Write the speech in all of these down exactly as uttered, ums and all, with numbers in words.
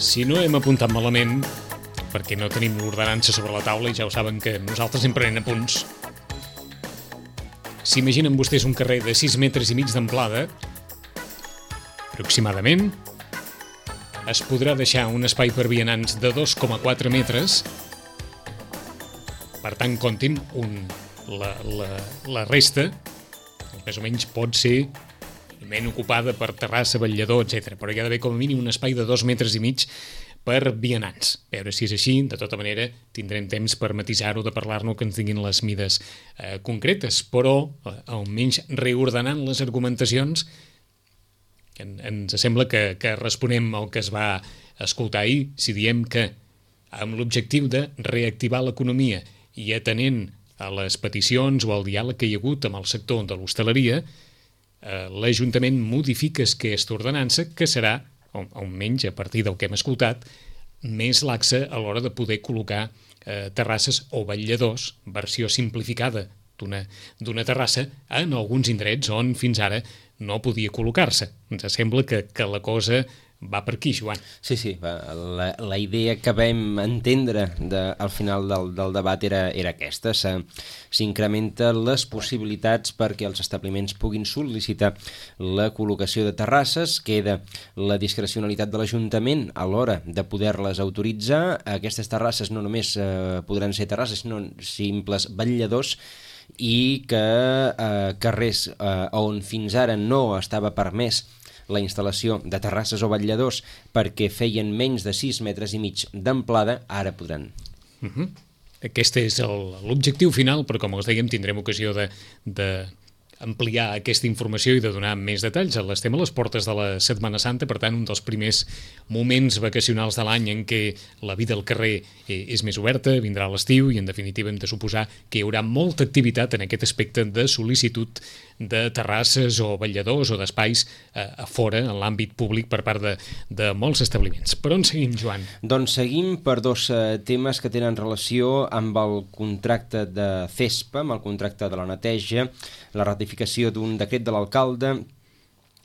Si no hem apuntat malament, perquè no tenim l'ordenança sobre la taula i ja ho saben que nosaltres sempre anem a punts, s'imaginen vostès un carrer de sis metres i mig d'amplada, aproximadament, es podrà deixar un espai per vianants de dos coma quatre metres, per tant, comptin, un, la, la, la resta, més o menys pot ser ben ocupada per terrassa, vetllador, etcètera. Però hi ha d'haver com a mínim un espai de dos metres i mig per vianants. A veure si és així, de tota manera tindrem temps per matisar-ho, de parlar-ne, que ens tinguin les mides eh, concretes, però almenys reordenant les argumentacions en, ens sembla que, que responem al que es va escoltar ahir, si diem que amb l'objectiu de reactivar l'economia i atenent a les peticions o al diàleg que hi ha hagut amb el sector de l'hostaleria, eh, l'Ajuntament modifica aquesta ordenança, que serà, almenys a partir del que hem escoltat, més laxa a l'hora de poder col·locar eh, terrasses o vetlladors, versió simplificada d'una d'una terrassa, en alguns indrets on fins ara no podia col·locar-se. Ens sembla que, que la cosa va per aquí, Joan. Sí, sí, la, la idea que vam entendre de, al final del, del debat era, era aquesta. S'incrementen les possibilitats perquè els establiments puguin sol·licitar la col·locació de terrasses, queda la discrecionalitat de l'Ajuntament a l'hora de poder-les autoritzar. Aquestes terrasses no només eh, podran ser terrasses, sinó simples vetlladors, i que eh, carrers eh, on fins ara no estava permès la instal·lació de terrasses o vetlladors perquè feien menys de sis metres i mig d'amplada, ara podran. Uh-huh. Aquest és l'objectiu final, però com us dèiem tindrem ocasió de, de ampliar aquesta informació i de donar més detalls. Estem a les portes de la Setmana Santa, per tant, un dels primers moments vacacionals de l'any en què la vida al carrer és més oberta, vindrà l'estiu i, en definitiva, hem de suposar que hi haurà molta activitat en aquest aspecte de sol·licitud de terrasses o vetlladors o d'espais eh, a fora, en l'àmbit públic, per part de, de molts establiments. Per on seguim, Joan? Doncs seguim per dos eh, temes que tenen relació amb el contracte de CESPA, amb el contracte de la neteja, la ratificació d'un decret de l'alcalde,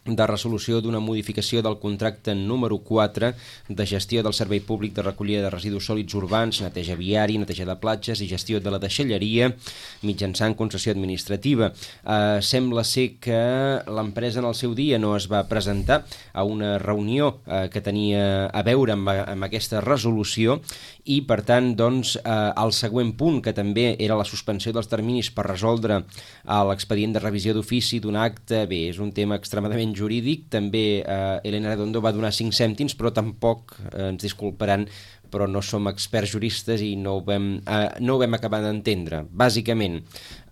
de resolució d'una modificació del contracte número quatre de gestió del servei públic de recollida de residus sòlids urbans, neteja viari, neteja de platges i gestió de la deixalleria mitjançant concessió administrativa. Eh, sembla ser que l'empresa en el seu dia no es va presentar a una reunió eh, que tenia a veure amb, amb aquesta resolució i, per tant, doncs, eh, el següent punt, que també era la suspensió dels terminis per resoldre l'expedient de revisió d'ofici d'un acte, bé, és un tema extremadament jurídic. També eh, Elena Redondo va donar cinc cèntims, però tampoc, eh, ens disculparan, però no som experts juristes i no ho vam, eh, no ho vam acabar d'entendre. Bàsicament,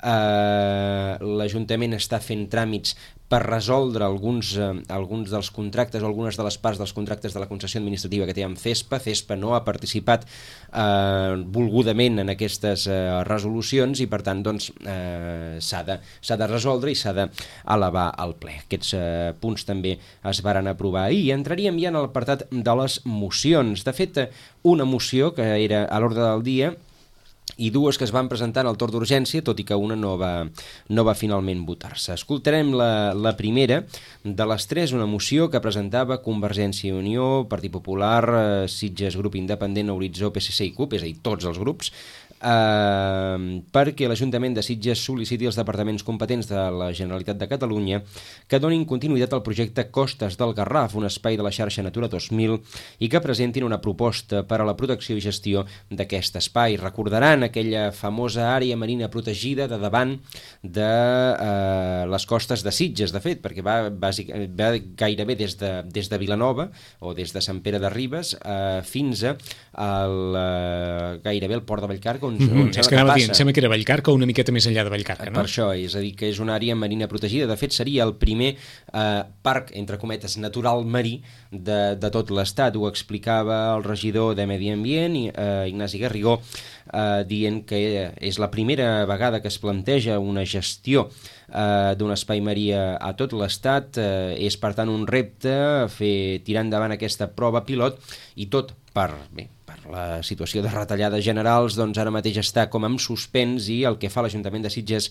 eh, l'Ajuntament està fent tràmits per resoldre alguns, eh, alguns dels contractes o algunes de les parts dels contractes de la concessió administrativa que té amb CESPA. CESPA no ha participat eh, volgudament en aquestes eh, resolucions i, per tant, doncs, eh, s'ha de, s'ha de resoldre i s'ha d'elevar al ple. Aquests eh, punts també es varen aprovar ahir. I entraríem ja en l'apartat de les mocions. De fet, una moció que era a l'ordre del dia i dues que es van presentar en el torn d'urgència, tot i que una no va, no va finalment votar-se. Escoltarem la, la primera de les tres, una moció que presentava Convergència i Unió, Partit Popular, eh, Sitges, Grup Independent, Horitzó, P S C i CUP, és a dir, tots els grups, eh, perquè l'Ajuntament de Sitges sol·liciti als departaments competents de la Generalitat de Catalunya que donin continuïtat al projecte Costes del Garraf, un espai de la xarxa Natura dos mil, i que presentin una proposta per a la protecció i gestió d'aquest espai. Recordaran aquella famosa àrea marina protegida de davant de eh, les costes de Sitges, de fet, perquè va, bàsic, va gairebé des de, des de Vilanova o des de Sant Pere de Ribes eh, fins a el, eh, gairebé el port de Vallcarca, on, mm-hmm. on és que anava a dir, em sembla que era Vallcarca o una miqueta més enllà de Vallcarca, no? Per això, és a dir, que és una àrea marina protegida. De fet, seria el primer eh, parc, entre cometes, natural marí de, de tot l'Estat. Ho explicava el regidor de Medi Ambient, eh, Ignasi Garrigó, eh, dient que és la primera vegada que es planteja una gestió eh, d'un espai marí a tot l'Estat. Eh, és, per tant, un repte fer tirar endavant aquesta prova pilot i tot per... bé, la situació de retallades generals, doncs ara mateix està com en suspens i el que fa l'Ajuntament de Sitges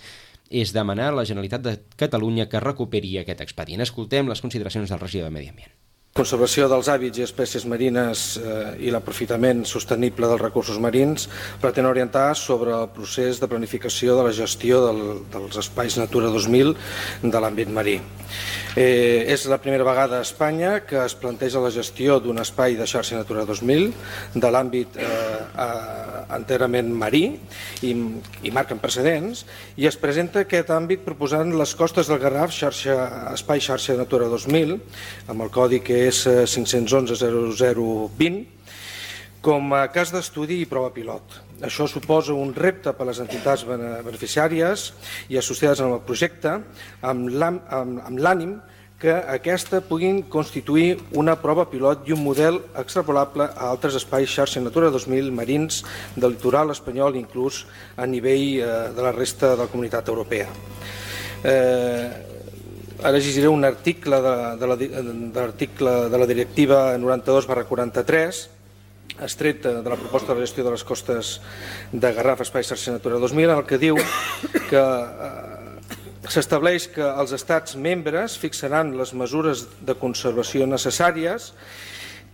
és demanar a la Generalitat de Catalunya que recuperi aquest expedient. Escoltem les consideracions del regidor de Medi Ambient. Conservació dels hàbits i espècies marines eh, i l'aprofitament sostenible dels recursos marins pretén orientar sobre el procés de planificació de la gestió del, dels espais Natura dos mil de l'àmbit marí. Eh, és la primera vegada a Espanya que es planteja la gestió d'un espai de xarxa Natura dos mil de l'àmbit eh, enterament marí i, i marquen precedents, i es presenta aquest àmbit proposant les costes del Garraf, xarxa, espai xarxa Natura dos mil, amb el codi que és cinc-cents onze zero zero vint, com a cas d'estudi i prova pilot. Això suposa un repte per a les entitats beneficiàries i associades amb el projecte, amb l'ànim que aquesta puguin constituir una prova pilot i un model extrapolable a altres espais xarxa Natura dos mil marins del litoral espanyol, inclús a nivell de la resta de la comunitat europea. Ara llegiré un article de, de, la, de l'article de la directiva noranta-dos barra quaranta-tres, estret de la proposta de la gestió de les costes de Garraf, espai xarxa Natura dos mil, en el que diu que s'estableix que els estats membres fixaran les mesures de conservació necessàries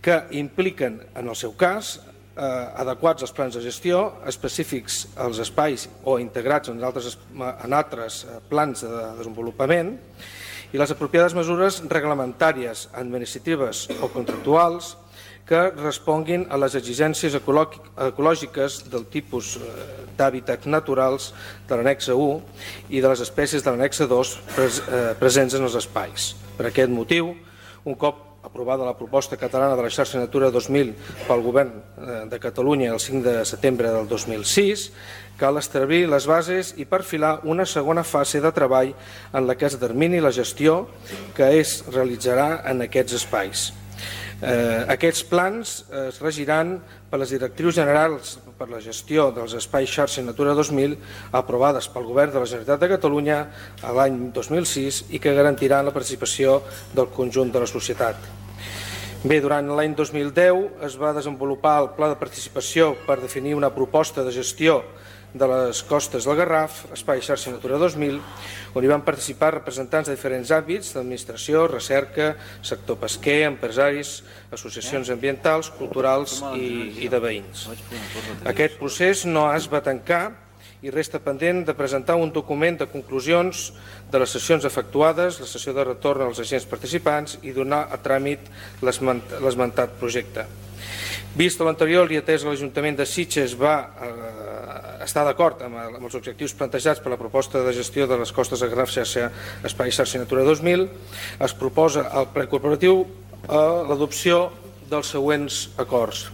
que impliquen, en el seu cas, eh, adequats als plans de gestió, específics als espais o integrats en altres, en altres plans de desenvolupament, i les apropiades mesures reglamentàries, administratives o contractuals que responguin a les exigències ecològiques del tipus d'hàbitats naturals de l'annexa u i de les espècies de l'annexa dos presents en els espais. Per aquest motiu, un cop aprovada la proposta catalana de la xarxa Natura dos mil pel Govern de Catalunya el cinc de setembre del dos mil sis, cal establir les bases i perfilar una segona fase de treball en la que es determini la gestió que es realitzarà en aquests espais. Eh, aquests plans es regiran per les directrius generals per la gestió dels espais xarxa Natura dos mil aprovades pel Govern de la Generalitat de Catalunya l'any dos mil sis i que garantiran la participació del conjunt de la societat. Bé, durant l'any dos mil deu es va desenvolupar el Pla de Participació per definir una proposta de gestió de les costes del Garraf, espai xarxa Natura dos mil, on hi van participar representants de diferents àmbits d'administració, recerca, sector pesquer, empresaris, associacions ambientals, culturals i, i de veïns. Aquest procés no es va tancar i resta pendent de presentar un document de conclusions de les sessions efectuades, la sessió de retorn als agents participants i donar a tràmit l'esmentat projecte. Vist l'anterior i atès que l'Ajuntament de Sitges va eh, estar d'acord amb, amb els objectius plantejats per la proposta de gestió de les costes de Garraf xarxa Espai xarxa Natura dos mil, es proposa al ple corporatiu eh, l'adopció dels següents acords.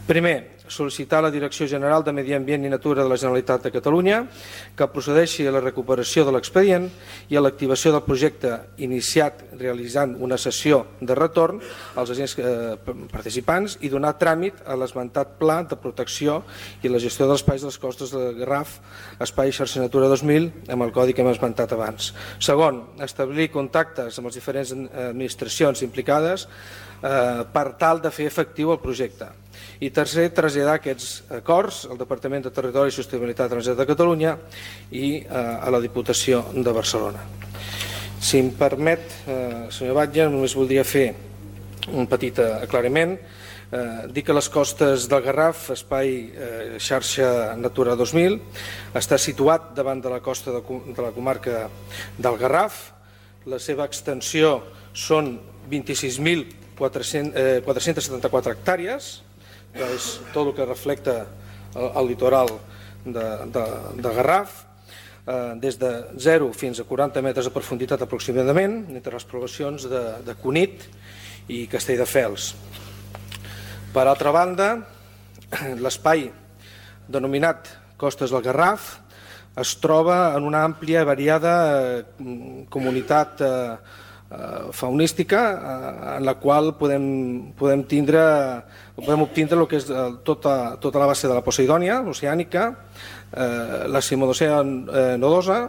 Primer, sol·licitar a la Direcció General de Medi Ambient i Natura de la Generalitat de Catalunya que procedeixi a la recuperació de l'expedient i a l'activació del projecte iniciat realitzant una sessió de retorn als agents eh, participants i donar tràmit a l'esmentat pla de protecció i la gestió dels espais de les costes de Garraf, espai xarxa Natura dos mil, amb el codi que hem esmentat abans. Segon, establir contactes amb les diferents administracions implicades eh, per tal de fer efectiu el projecte. I tercer, traslladar aquests acords al Departament de Territori i Sostenibilitat de la Generalitat de Catalunya i eh, a la Diputació de Barcelona. Si em permet, eh, senyor Batlle, només voldria fer un petit aclariment. Eh, dir que les costes del Garraf, espai eh, xarxa Natura dos mil, està situat davant de la costa de, de la comarca del Garraf. La seva extensió són vint-i-sis mil quatre-cents setanta-quatre hectàrees, que és tot el que reflecta el, el litoral de, de, de Garraf, eh, des de zero fins a quaranta metres de profunditat aproximadament, entre les poblacions de, de Cunit i Castelldefels. Per altra banda, l'espai denominat Costes del Garraf es troba en una àmplia i variada eh, comunitat eh, faunística en la qual podem, podem, tindre, podem obtindre el que és tota, tota la base de la Poseidònia, l'oceànica, eh, la Simodocea nodosa,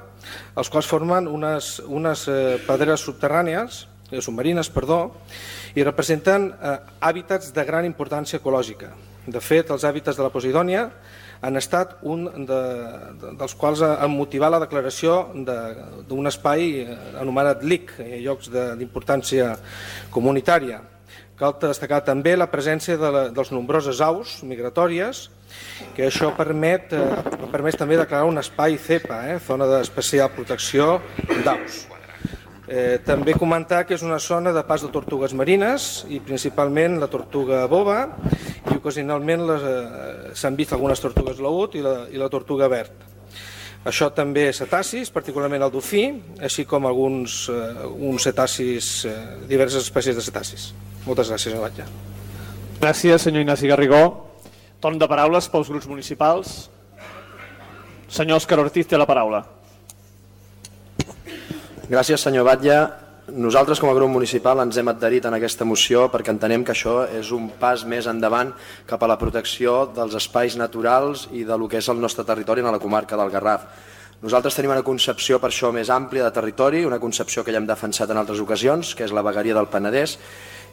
els quals formen unes, unes eh, pedreres subterrànies, eh, submarines, perdó, i representen eh, hàbitats de gran importància ecològica. De fet, els hàbitats de la Poseidònia han estat un de, de, dels quals han motivat la declaració d'un espai anomenat L I C, llocs d'importància comunitària. Cal destacar també la presència de, la, dels nombroses aus migratòries, que això permet, eh, permet també declarar un espai CEPA, eh, zona d'especial protecció d'aus. Eh, també comentar que és una zona de pas de tortugues marines i principalment la tortuga boba i ocasionalment eh, s'han vist algunes tortugues laúd i la, i la tortuga verd. Això també cetacis, particularment el dofí, així com alguns eh, uns cetacis, eh, diverses espècies de cetacis. Moltes gràcies, senyor Batlle. Gràcies, senyor Ignasi Garrigó. Torn de paraules pels grups municipals. Senyor Òscar Ortiz té la paraula. Gràcies, senyor Batlle. Nosaltres, com a grup municipal, ens hem adherit en aquesta moció perquè entenem que això és un pas més endavant cap a la protecció dels espais naturals i del que és el nostre territori en la comarca del Garraf. Nosaltres tenim una concepció per això més àmplia de territori, una concepció que ja hem defensat en altres ocasions, que és la vegueria del Penedès,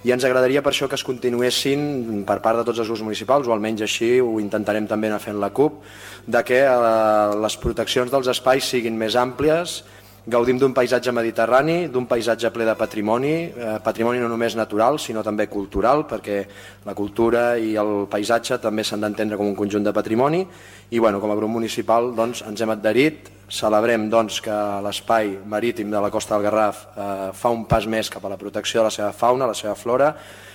i ens agradaria per això que es continuessin per part de tots els grups municipals, o almenys així ho intentarem també anar fent la CUP, de que eh, les proteccions dels espais siguin més àmplies. Gaudim d'un paisatge mediterrani, d'un paisatge ple de patrimoni, eh, patrimoni no només natural, sinó també cultural, perquè la cultura i el paisatge també s'han d'entendre com un conjunt de patrimoni. I bueno, com a grup municipal doncs, ens hem adherit, celebrem doncs, que l'espai marítim de la Costa del Garraf eh, fa un pas més cap a la protecció de la seva fauna, la seva flora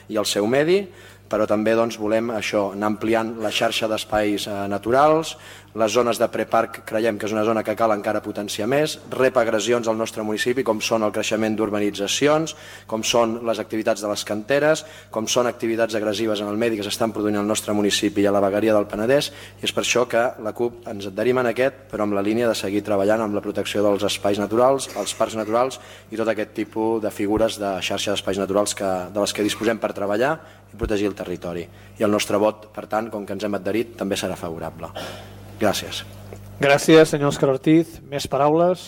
i el seu medi, però també doncs, volem això, anar ampliant la xarxa d'espais eh, naturals. Les zones de preparc creiem que és una zona que cal encara potenciar més, rep agressions al nostre municipi com són el creixement d'urbanitzacions, com són les activitats de les canteres, com són activitats agressives en el medi que s'estan produint al nostre municipi i a la vegueria del Penedès, i és per això que la CUP ens adherim en aquest, però amb la línia de seguir treballant amb la protecció dels espais naturals, els parcs naturals i tot aquest tipus de figures de xarxa d'espais naturals que, de les que disposem per treballar i protegir el territori. I el nostre vot, per tant, com que ens hem adherit, també serà favorable. Gràcies. Gràcies, senyor Òscar Ortiz. Més paraules?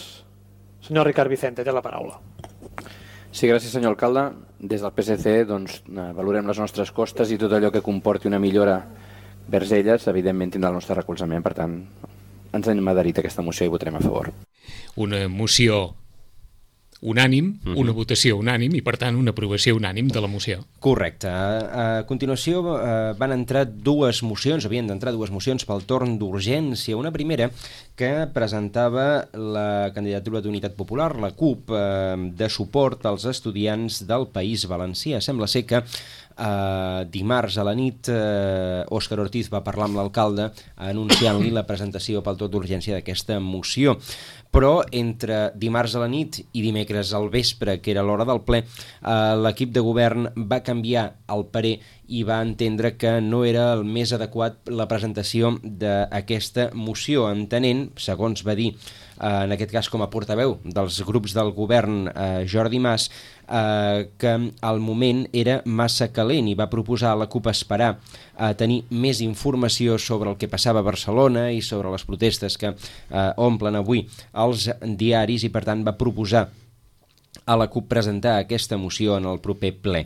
Senyor Ricard Vicente, té la paraula. Sí, gràcies, senyor alcalde. Des del P S C doncs, valorem les nostres costes i tot allò que comporti una millora vers elles, evidentment tindrà el nostre recolzament. Per tant, ens hem adherit a aquesta moció i votarem a favor. Una moció unànim, uh-huh. una votació unànim i, per tant, una aprovació unànim de la moció. Correcte. A continuació eh, van entrar dues mocions, havien d'entrar dues mocions pel torn d'urgència. Una primera que presentava la candidatura d'Unitat Popular, la CUP, eh, de suport als estudiants del País Valencià. Sembla ser que Uh, dimarts a la nit uh, Òscar Ortiz va parlar amb l'alcalde anunciant-li la presentació pel torn d'urgència d'aquesta moció, però entre dimarts a la nit i dimecres al vespre, que era l'hora del ple, uh, l'equip de govern va canviar el parer i va entendre que no era el més adequat la presentació d'aquesta moció, entenent, segons va dir uh, en aquest cas com a portaveu dels grups del govern uh, Jordi Mas, Uh, que al moment era massa calent i va proposar a la CUP esperar a tenir més informació sobre el que passava a Barcelona i sobre les protestes que uh, omplen avui els diaris, i per tant va proposar a la CUP presentar aquesta moció en el proper ple.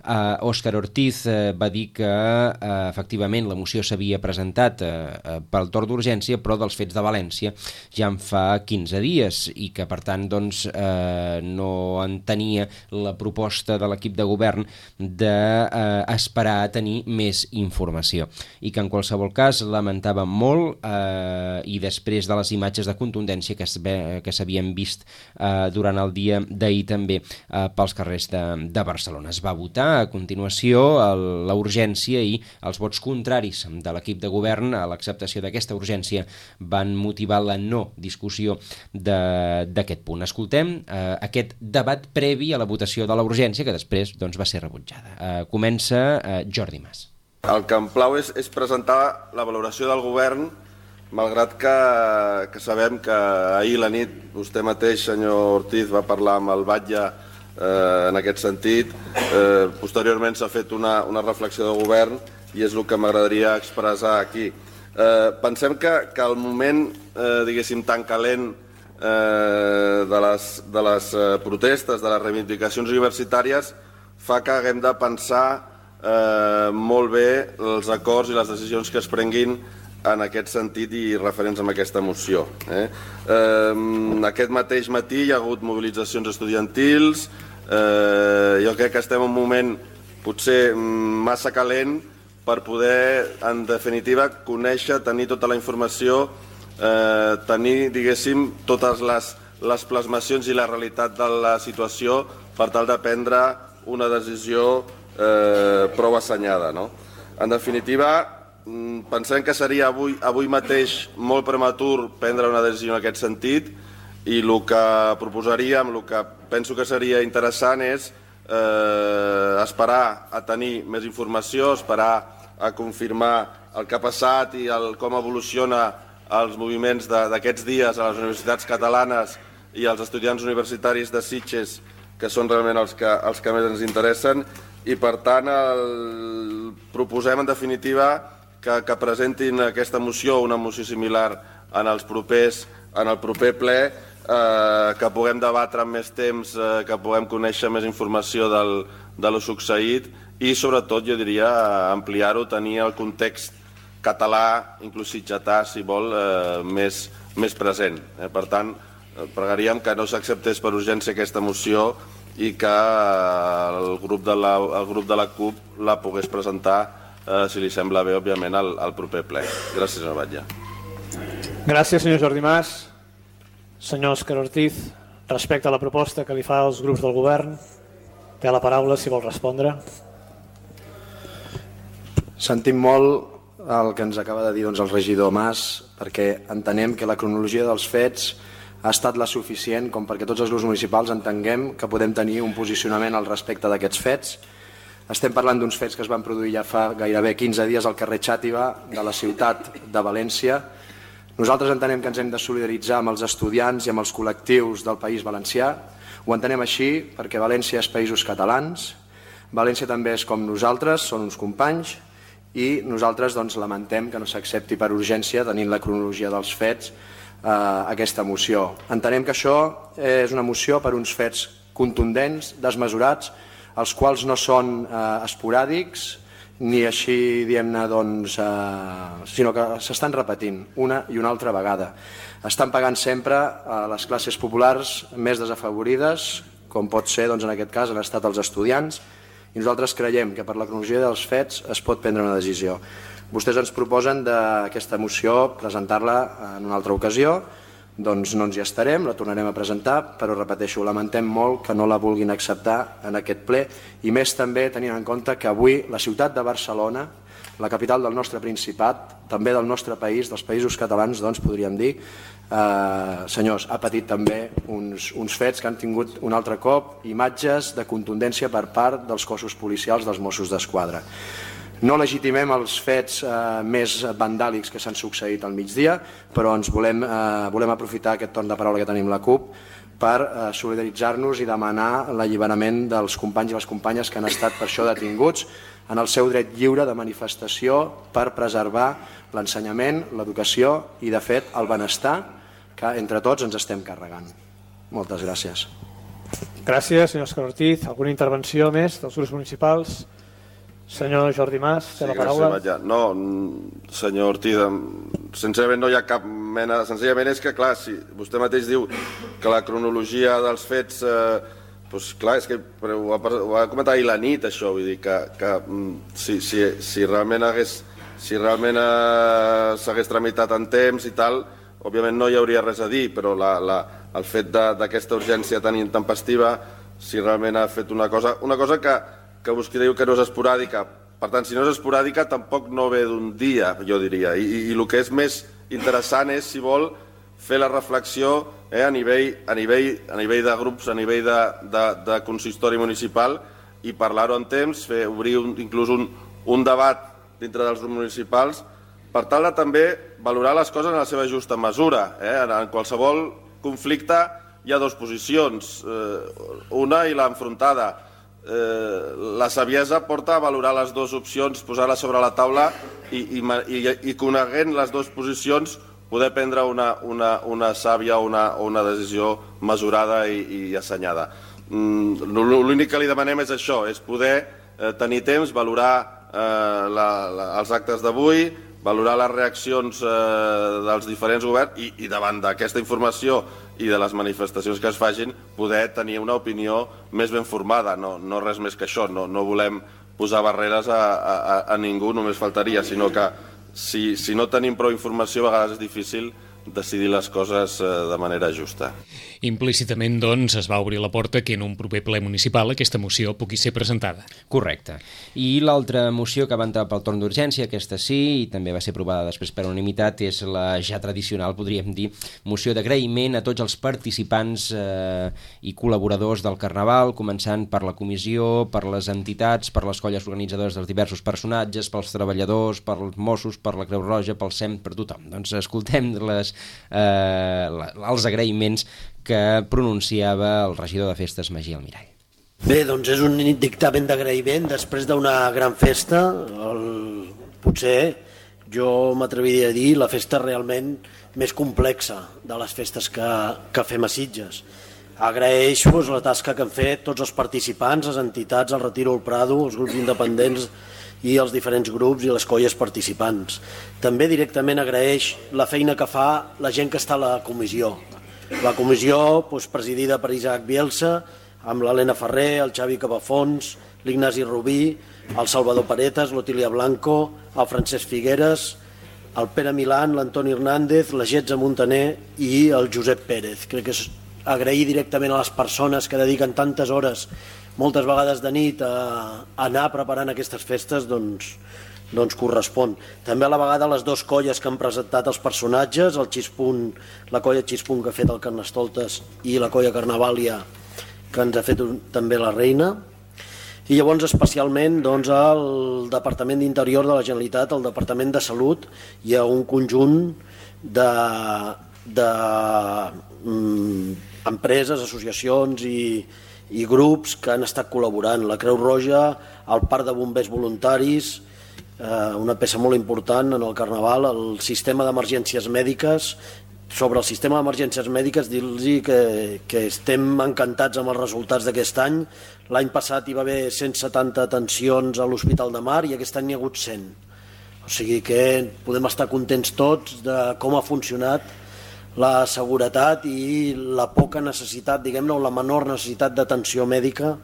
Uh, Òscar Ortiz uh, va dir que uh, efectivament la moció s'havia presentat uh, uh, pel torn d'urgència, però dels fets de València ja en fa quinze dies i que per tant doncs, uh, no entenia la proposta de l'equip de govern d'esperar uh, a tenir més informació i que en qualsevol cas lamentava molt uh, i després de les imatges de contundència que s'havien vist uh, durant el dia d'ahir també eh, pels carrers de, de Barcelona. Es va votar a continuació la urgència i els vots contraris de l'equip de govern a l'acceptació d'aquesta urgència van motivar la no discussió d'aquest punt. Escoltem eh, aquest debat previ a la votació de la urgència que després doncs, va ser rebutjada. Eh, comença eh, Jordi Mas. El que em plau és, és presentar la valoració del govern, malgrat que, que sabem que ahir la nit vostè mateix, senyor Ortiz, va parlar amb el Batlle eh, en aquest sentit. Eh, posteriorment s'ha fet una, una reflexió de govern i és el que m'agradaria expressar aquí. Eh, pensem que, que el moment, eh, diguéssim, tan calent eh, de les, de les eh, protestes, de les reivindicacions universitàries, fa que haguem de pensar eh, molt bé els acords i les decisions que es prenguin en aquest sentit i referents amb aquesta moció. Eh? Eh, aquest mateix matí hi ha hagut mobilitzacions estudiantils, eh, jo crec que estem en un moment potser massa calent per poder, en definitiva, conèixer, tenir tota la informació, eh, tenir, diguéssim, totes les, les plasmacions i la realitat de la situació per tal de prendre una decisió eh, prou assenyada, no? En definitiva, pensem que seria avui, avui mateix molt prematur prendre una decisió en aquest sentit i el que proposaríem, el que penso que seria interessant és eh, esperar a tenir més informació, esperar a confirmar el que ha passat i el, com evoluciona els moviments d'aquests dies a les universitats catalanes i als estudiants universitaris de Sitges, que són realment els que, els que més ens interessen, i per tant el, proposem en definitiva que, que presentin aquesta moció, una moció similar en, els propers, en el proper ple, eh, que puguem debatre amb més temps, eh, que puguem conèixer més informació del, de lo succeït i sobretot jo diria ampliar-ho, tenir el context català, inclús sitgetà, si vol, eh, més, més present. Eh? Per tant, pregaríem que no s'acceptés per urgència aquesta moció i que el grup de la, el grup de la CUP la pogués presentar, eh, si li sembla bé, òbviament, al, al proper ple. Gràcies, senyor Batlle. Gràcies, senyor Jordi Mas. Senyor Òscar Ortiz, respecte a la proposta que li fa als grups del govern, té la paraula si vol respondre. Sentim molt el que ens acaba de dir doncs, el regidor Mas, perquè entenem que la cronologia dels fets ha estat la suficient com perquè tots els grups municipals entenguem que podem tenir un posicionament al respecte d'aquests fets. Estem parlant d'uns fets que es van produir ja fa gairebé quinze dies al carrer Xàtiva de la ciutat de València. Nosaltres entenem que ens hem de solidaritzar amb els estudiants i amb els col·lectius del País Valencià. Ho entenem així perquè València és Països Catalans, València també és com nosaltres, són uns companys, i nosaltres doncs, lamentem que no s'accepti per urgència, tenint la cronologia dels fets, eh, aquesta moció. Entenem que això és una moció per uns fets contundents, desmesurats, els quals no són eh, esporàdics, ni així, diguem-ne, doncs, eh, sinó que s'estan repetint una i una altra vegada. Estan pagant sempre a les classes populars més desafavorides, com pot ser, doncs, en aquest cas, han estat els estudiants, i nosaltres creiem que per la cronologia dels fets es pot prendre una decisió. Vostès ens proposen d'aquesta moció presentar-la en una altra ocasió, doncs no ens hi estarem, la tornarem a presentar, però repeteixo, lamentem molt que no la vulguin acceptar en aquest ple, i més també tenint en compte que avui la ciutat de Barcelona, la capital del nostre Principat, també del nostre país, dels països catalans, doncs podríem dir, eh, senyors, ha patit també uns, uns fets que han tingut un altre cop imatges de contundència per part dels cossos policials dels Mossos d'Esquadra. No legitimem els fets eh, més vandàlics que s'han succeït al migdia, però ens volem, eh, volem aprofitar aquest torn de paraula que tenim la CUP per eh, solidaritzar-nos i demanar l'alliberament dels companys i les companyes que han estat per això detinguts en el seu dret lliure de manifestació per preservar l'ensenyament, l'educació i, de fet, el benestar que entre tots ens estem carregant. Moltes gràcies. Gràcies, senyor Òscar Ortiz. Alguna intervenció més dels grups municipals? Senyor Jordi Mas, té la paraula. Gràcies, no, senyor Ortiz, senzillament no hi ha cap mena... Senzillament és que, clar, si vostè mateix diu que la cronologia dels fets... Eh, doncs clar, és que ho va, ho va comentar ahir la nit, això, vull dir que, que si, si, si realment hagués, si realment eh, s'hagués tramitat en temps i tal, òbviament no hi hauria res a dir, però la, la, el fet d'aquesta urgència tan intempestiva, si realment ha fet una cosa, una cosa que, que vostè diu que no és esporàdica, per tant, si no és esporàdica tampoc no ve d'un dia, jo diria, i, i, i el que és més interessant és, si vol, fer la reflexió eh, a, nivell, a, nivell, a nivell de grups, a nivell de, de, de consistori municipal i parlar-ho en temps, fer, obrir un, inclús un, un debat dintre dels grups municipals per tal de també valorar les coses en la seva justa mesura. Eh? En, en qualsevol conflicte hi ha dues posicions, eh, una i l'enfrontada. Eh, la saviesa porta a valorar les dues opcions, posar-les sobre la taula i, i, i, i coneguent les dues posicions poder prendre una, una, una sàvia o una, una decisió mesurada i, i assenyada. Mm, L'únic que li demanem és això, és poder eh, tenir temps, valorar eh, la, la, els actes d'avui, valorar les reaccions eh, dels diferents governs i, i davant d'aquesta informació i de les manifestacions que es facin, poder tenir una opinió més ben formada, no, no res més que això. No, no volem posar barreres a, a, a ningú, només faltaria, sinó que si, si no tenim prou informació a vegades és difícil decidir les coses de manera justa. Implícitament, doncs, es va obrir la porta que en un proper ple municipal aquesta moció pugui ser presentada. Correcte. I l'altra moció que va entrar pel torn d'urgència, aquesta sí, i també va ser aprovada després per unanimitat, és la ja tradicional, podríem dir, moció d'agraïment a tots els participants eh, i col·laboradors del Carnaval, començant per la comissió, per les entitats, per les colles organitzadores dels diversos personatges, pels treballadors, pels Mossos, per la Creu Roja, pel SEM, per tothom. Doncs escoltem les, eh, els agraïments que pronunciava el regidor de Festes, Magí Almirall. Bé, doncs és un dictamen d'agraïment després d'una gran festa. El... Potser jo m'atreviria a dir la festa realment més complexa de les festes que, que fem a Sitges. Agraeixo pues, la tasca que han fet tots els participants, les entitats, el Retiro al Prado, els grups independents i els diferents grups i les colles participants. També directament agraeix la feina que fa la gent que està a la comissió. La comissió, doncs, presidida per Isaac Bielsa, amb l'Helena Ferrer, el Xavi Cabafons, l'Ignasi Rubí, el Salvador Paretas, l'Otília Blanco, el Francesc Figueres, el Pere Milán, l'Antoni Hernández, la Getza Montaner i el Josep Pérez. Crec que és agrair directament a les persones que dediquen tantes hores, moltes vegades de nit, a anar preparant aquestes festes, doncs, doncs correspon. També a la vegada les dues colles que han presentat els personatges, el Xispunt, la colla Xispunt que ha fet el Carnestoltes i la colla Carnavàlia que ens ha fet un, també la Reina. I llavors especialment doncs, el Departament d'Interior de la Generalitat, el Departament de Salut, hi ha un conjunt de, de mm, empreses, associacions i, i grups que han estat col·laborant. La Creu Roja, el Parc de Bombers Voluntaris, una peça molt important en el Carnaval, el sistema d'emergències mèdiques. Sobre el sistema d'emergències mèdiques dir-los que, que estem encantats amb els resultats d'aquest any. L'any passat hi va haver cent setanta atencions a l'Hospital de Mar i aquest any n'hi ha hagut cent. O sigui que podem estar contents tots de com ha funcionat la seguretat i la poca necessitat, diguem-ne, o la menor necessitat d'atenció mèdica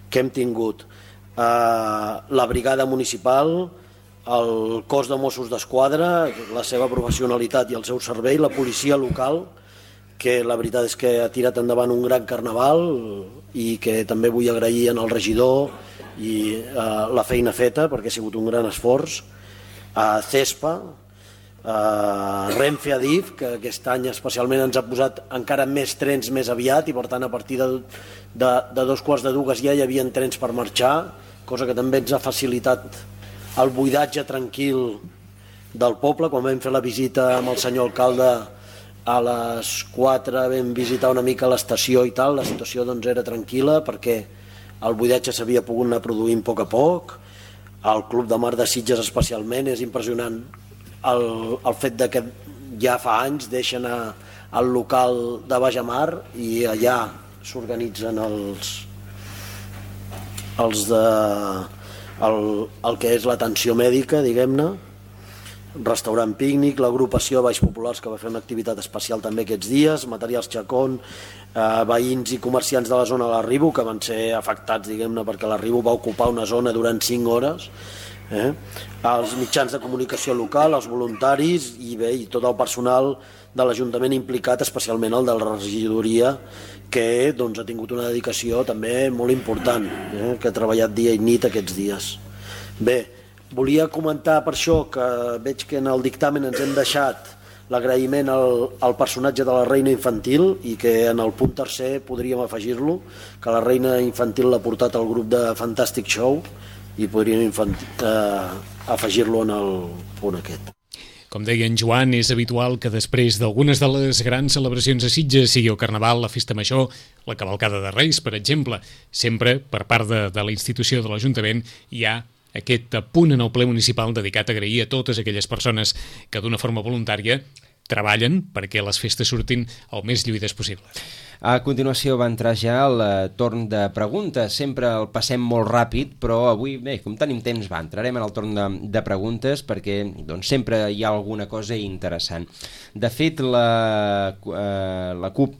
que hem tingut. La brigada municipal, el cos de Mossos d'Esquadra, la seva professionalitat i el seu servei, la policia local, que la veritat és que ha tirat endavant un gran carnaval i que també vull agrair al regidor i eh, la feina feta perquè ha sigut un gran esforç, a CESPA, a Renfe Adif, que aquest any especialment ens ha posat encara més trens més aviat i per tant a partir de, de, de dos quarts de dues ja hi havia trens per marxar, cosa que també ens ha facilitat el buidatge tranquil del poble. Quan vam fer la visita amb el senyor alcalde a les quatre vam visitar una mica l'estació i tal, la situació doncs era tranquil·la perquè el buidatge s'havia pogut anar produint a poc a poc. El Club de Mar de Sitges especialment és impressionant el, el fet de que ja fa anys deixen a, el local de Bajamar i allà s'organitzen els els de El, el que és l'atenció mèdica, diguem-ne, restaurant pícnic, l'agrupació Baix Populars que va fer una activitat especial també aquests dies, Materials Chacón, eh, veïns i comerciants de la zona de la Ribu que van ser afectats, diguem-ne, perquè la Ribu va ocupar una zona durant cinc hores, eh? Els mitjans de comunicació local, els voluntaris i bé, i tot el personal de l'Ajuntament implicat, especialment el de la regidoria, que doncs, ha tingut una dedicació també molt important, eh? que ha treballat dia i nit aquests dies. Bé, volia comentar per això que veig que en el dictamen ens hem deixat l'agraïment al, al personatge de la reina infantil i que en el punt tercer podríem afegir-lo, que la reina infantil l'ha portat al grup de Fantastic Show i podríem infantil, eh, afegir-lo en el punt aquest. Com deia en Joan, és habitual que després d'algunes de les grans celebracions a Sitges, sigui el Carnaval, la Festa Major, la Cavalcada de Reis, per exemple, sempre per part de, de la institució de l'Ajuntament hi ha aquest punt en el ple municipal dedicat a agrair a totes aquelles persones que d'una forma voluntària treballen perquè les festes surtin el més lluïdes possible. A continuació va entrar ja el torn de preguntes. Sempre el passem molt ràpid, però avui, bé, com tenim temps, va, entrarem en el torn de, de preguntes perquè doncs, sempre hi ha alguna cosa interessant. De fet, la, eh, la CUP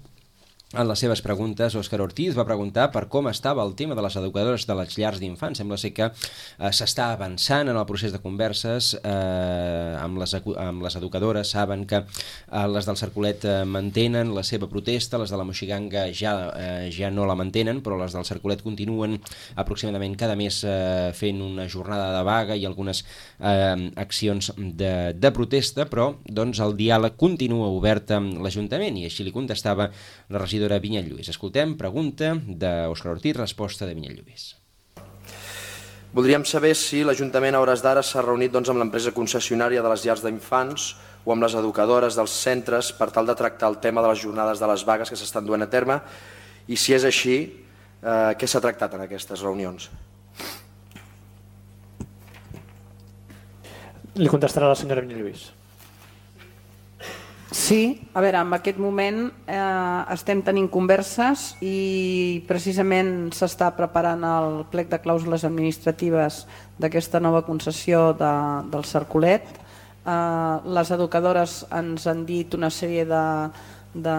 En les seves preguntes, Òscar Ortiz va preguntar per com estava el tema de les educadores de les llars d'infants. Sembla ser que eh, s'està avançant en el procés de converses eh, amb, les, amb les educadores. Saben que eh, les del Cercolet eh, mantenen la seva protesta, les de la Moixiganga ja, eh, ja no la mantenen, però les del Cercolet continuen aproximadament cada mes eh, fent una jornada de vaga i algunes eh, accions de, de protesta, però doncs, el diàleg continua obert amb l'Ajuntament i així li contestava la regidora Vinyet Lluís. Escoltem pregunta d'Òscar Ortiz, resposta de Vinyet Lluís. Voldríem saber si l'Ajuntament a hores d'ara s'ha reunit doncs, amb l'empresa concessionària de les llars d'infants o amb les educadores dels centres per tal de tractar el tema de les jornades de les vagues que s'estan duent a terme i si és així, eh, què s'ha tractat en aquestes reunions? Li contestarà la senyora Vinyet Lluís. Sí, a veure, en aquest moment eh, estem tenint converses i precisament s'està preparant el plec de clàusules administratives d'aquesta nova concessió de, del Cercolet. Eh, les educadores ens han dit una sèrie de, de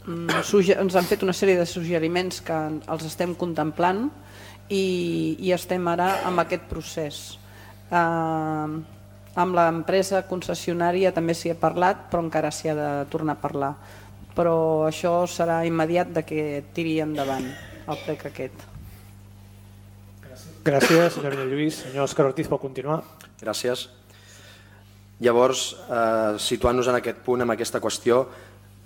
ens han fet una sèrie de suggeriments que els estem contemplant i, i estem ara amb aquest procés. Eh, Amb l'empresa concessionària també s'hi ha parlat, però encara s'hi ha de tornar a parlar. Però això serà immediat de que tiri endavant el plec aquest. Gràcies, senyor Vinyet Lluís. Senyor Òscar Ortiz, pot continuar. Gràcies. Llavors, eh, situant-nos en aquest punt, en aquesta qüestió,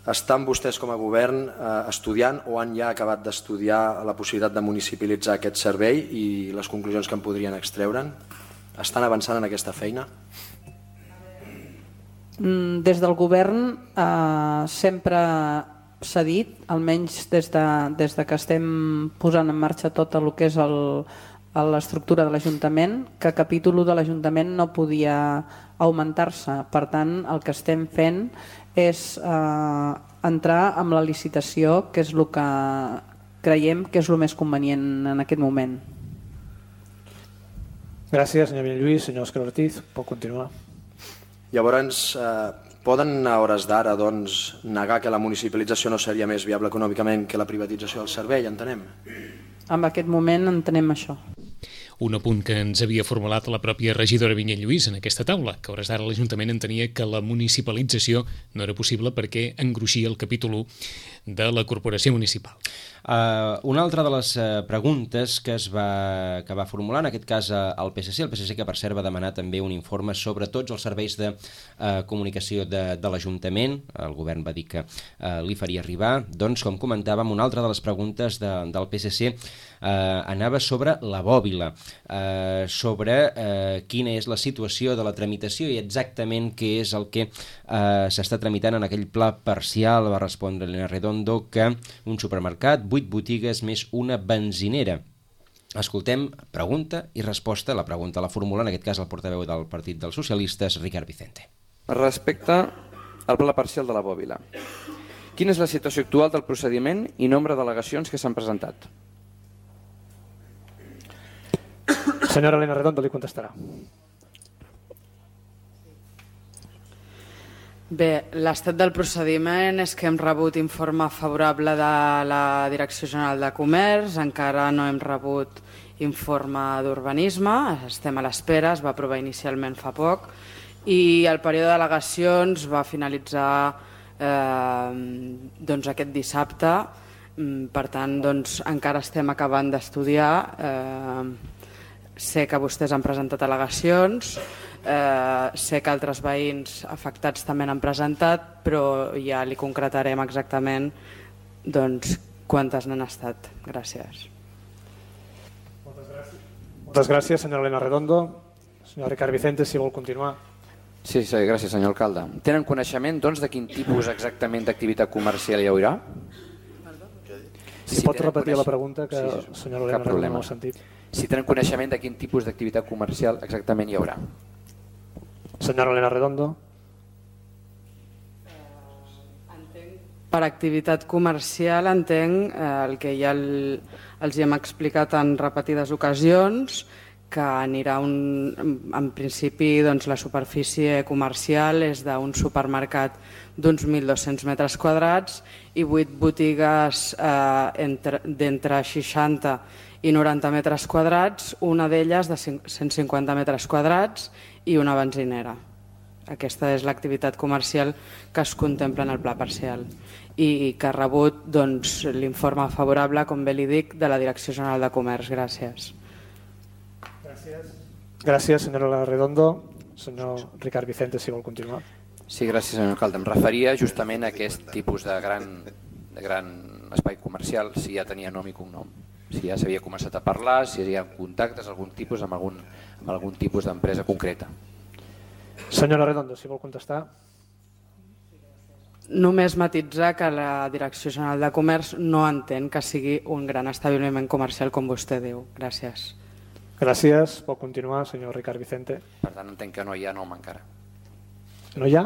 estan vostès com a govern eh, estudiant o han ja acabat d'estudiar la possibilitat de municipalitzar aquest servei i les conclusions que en podrien extreure'n? Estan avançant en aquesta feina? Des del govern eh, sempre s'ha dit, almenys des de, des de que estem posant en marxa tot el que és l'estructura de l'Ajuntament, que el capítol u de l'Ajuntament no podia augmentar-se. Per tant, el que estem fent és eh, entrar amb la licitació, que és el que creiem que és el més convenient en aquest moment. Gràcies, senyor Vinyet Lluís. Senyor Òscar Ortiz, pot continuar. Llavors, eh, poden a hores d'ara doncs, negar que la municipalització no seria més viable econòmicament que la privatització del servei, entenem? En aquest moment entenem això. Un apunt que ens havia formulat la pròpia regidora Vinyet Lluís en aquesta taula, que a hores d'ara l'Ajuntament entenia que la municipalització no era possible perquè engruixia el capítol u de la corporació municipal. Uh, una altra de les uh, preguntes que es va, que va formular, en aquest cas uh, el P S C, el P S C que per cert va demanar també un informe sobre tots els serveis de uh, comunicació de, de l'Ajuntament, el govern va dir que uh, li faria arribar, doncs com comentàvem, una altra de les preguntes de, del P S C uh, anava sobre la bòbila, uh, sobre uh, quina és la situació de la tramitació i exactament què és el que uh, s'està tramitant en aquell pla parcial. Va respondre Elena Redondo que un supermercat, vuit botigues més una benzinera. Escoltem pregunta i resposta. La pregunta la formula en aquest cas el portaveu del Partit dels Socialistes, Ricard Vicente. Respecte al pla parcial de la bòbila, quina és la situació actual del procediment i nombre d'al·legacions que s'han presentat? Senyora Elena Redondo li contestarà. Bé, l'estat del procediment és que hem rebut informe favorable de la Direcció General de Comerç, encara no hem rebut informe d'urbanisme, estem a l'espera, es va aprovar inicialment fa poc, i el període d'al·legacions va finalitzar eh, doncs aquest dissabte, per tant doncs, encara estem acabant d'estudiar, eh, sé que vostès han presentat al·legacions, Eh, sé que altres veïns afectats també n'han presentat, però ja li concretarem exactament doncs, quantes n'han estat. Gràcies. Moltes gràcies. Moltes gràcies, senyora Elena Redondo. Senyor Ricard Vicente, si vol continuar. Sí, sí, gràcies, senyor alcalde. Tenen coneixement doncs, de quin tipus exactament d'activitat comercial hi haurà? Si sí, pot repetir coneix... la pregunta, que sí, sí, senyora Elena Redondo no ha sentit. Si tenen coneixement de quin tipus d'activitat comercial exactament hi haurà? Senyora Elena Redondo. Per activitat comercial entenc eh, el que ja el, els hi hem explicat en repetides ocasions, que anirà un, en principi doncs, la superfície comercial és d'un supermercat d'uns mil dos-cents metres quadrats i vuit botigues eh, d'entre seixanta i noranta metres quadrats, una d'elles de cent cinquanta metres quadrats i una benzinera. Aquesta és l'activitat comercial que es contempla en el pla parcial i que ha rebut doncs, l'informe favorable, com bé li dic, de la Direcció General de Comerç. Gràcies. Gràcies, senyora Redondo. Senyor Ricard Vicente, si vol continuar. Sí, gràcies, senyor alcalde. Em referia justament a aquest tipus de gran, de gran espai comercial, si ja tenia nom i cognom, si ja s'havia començat a parlar, si hi ha contactes algun tipus amb algun, amb algun tipus d'empresa concreta. Senyora Redondo, si vol contestar. Només matitzar que la Direcció General de Comerç no entén que sigui un gran establiment comercial com vostè diu. Gràcies. Gràcies. Pot continuar, senyor Ricard Vicente. Per tant, entenc que no hi ha nom encara. No hi ha?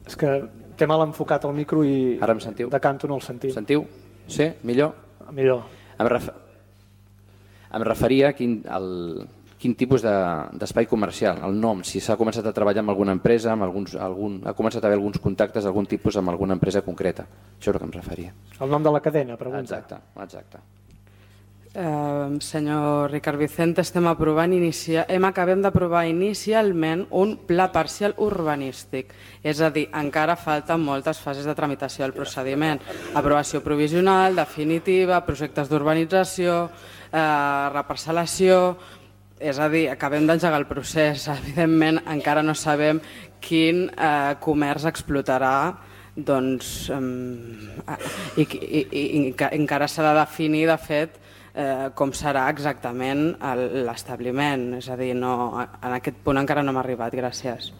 És que té mal enfocat el micro i ara em sentiu? De canto no el sentim. Sentiu? Sí? Millor? Millor. Em, ref... em referia a quin, al... quin tipus d'espai de... comercial, el nom, si s'ha començat a treballar amb alguna empresa, amb alguns, algun... ha començat a haver alguns contactes, algun tipus amb alguna empresa concreta. Això és el que em referia. El nom de la cadena, pregunta. Exacte, exacte. Eh, senyor Ricard Vicente, estem aprovant inicia... hem acabem d'aprovar inicialment un pla parcial urbanístic, és a dir, encara falten moltes fases de tramitació del procediment, aprovació provisional, definitiva, projectes d'urbanització, eh, reparcel·lació, és a dir, acabem d'engegar el procés, evidentment encara no sabem quin eh, comerç explotarà, doncs, eh, i, i, i, i encara s'ha de definir, de fet, Eh, com serà exactament l'establiment, és a dir, no, en aquest punt encara no hem arribat. Gràcies.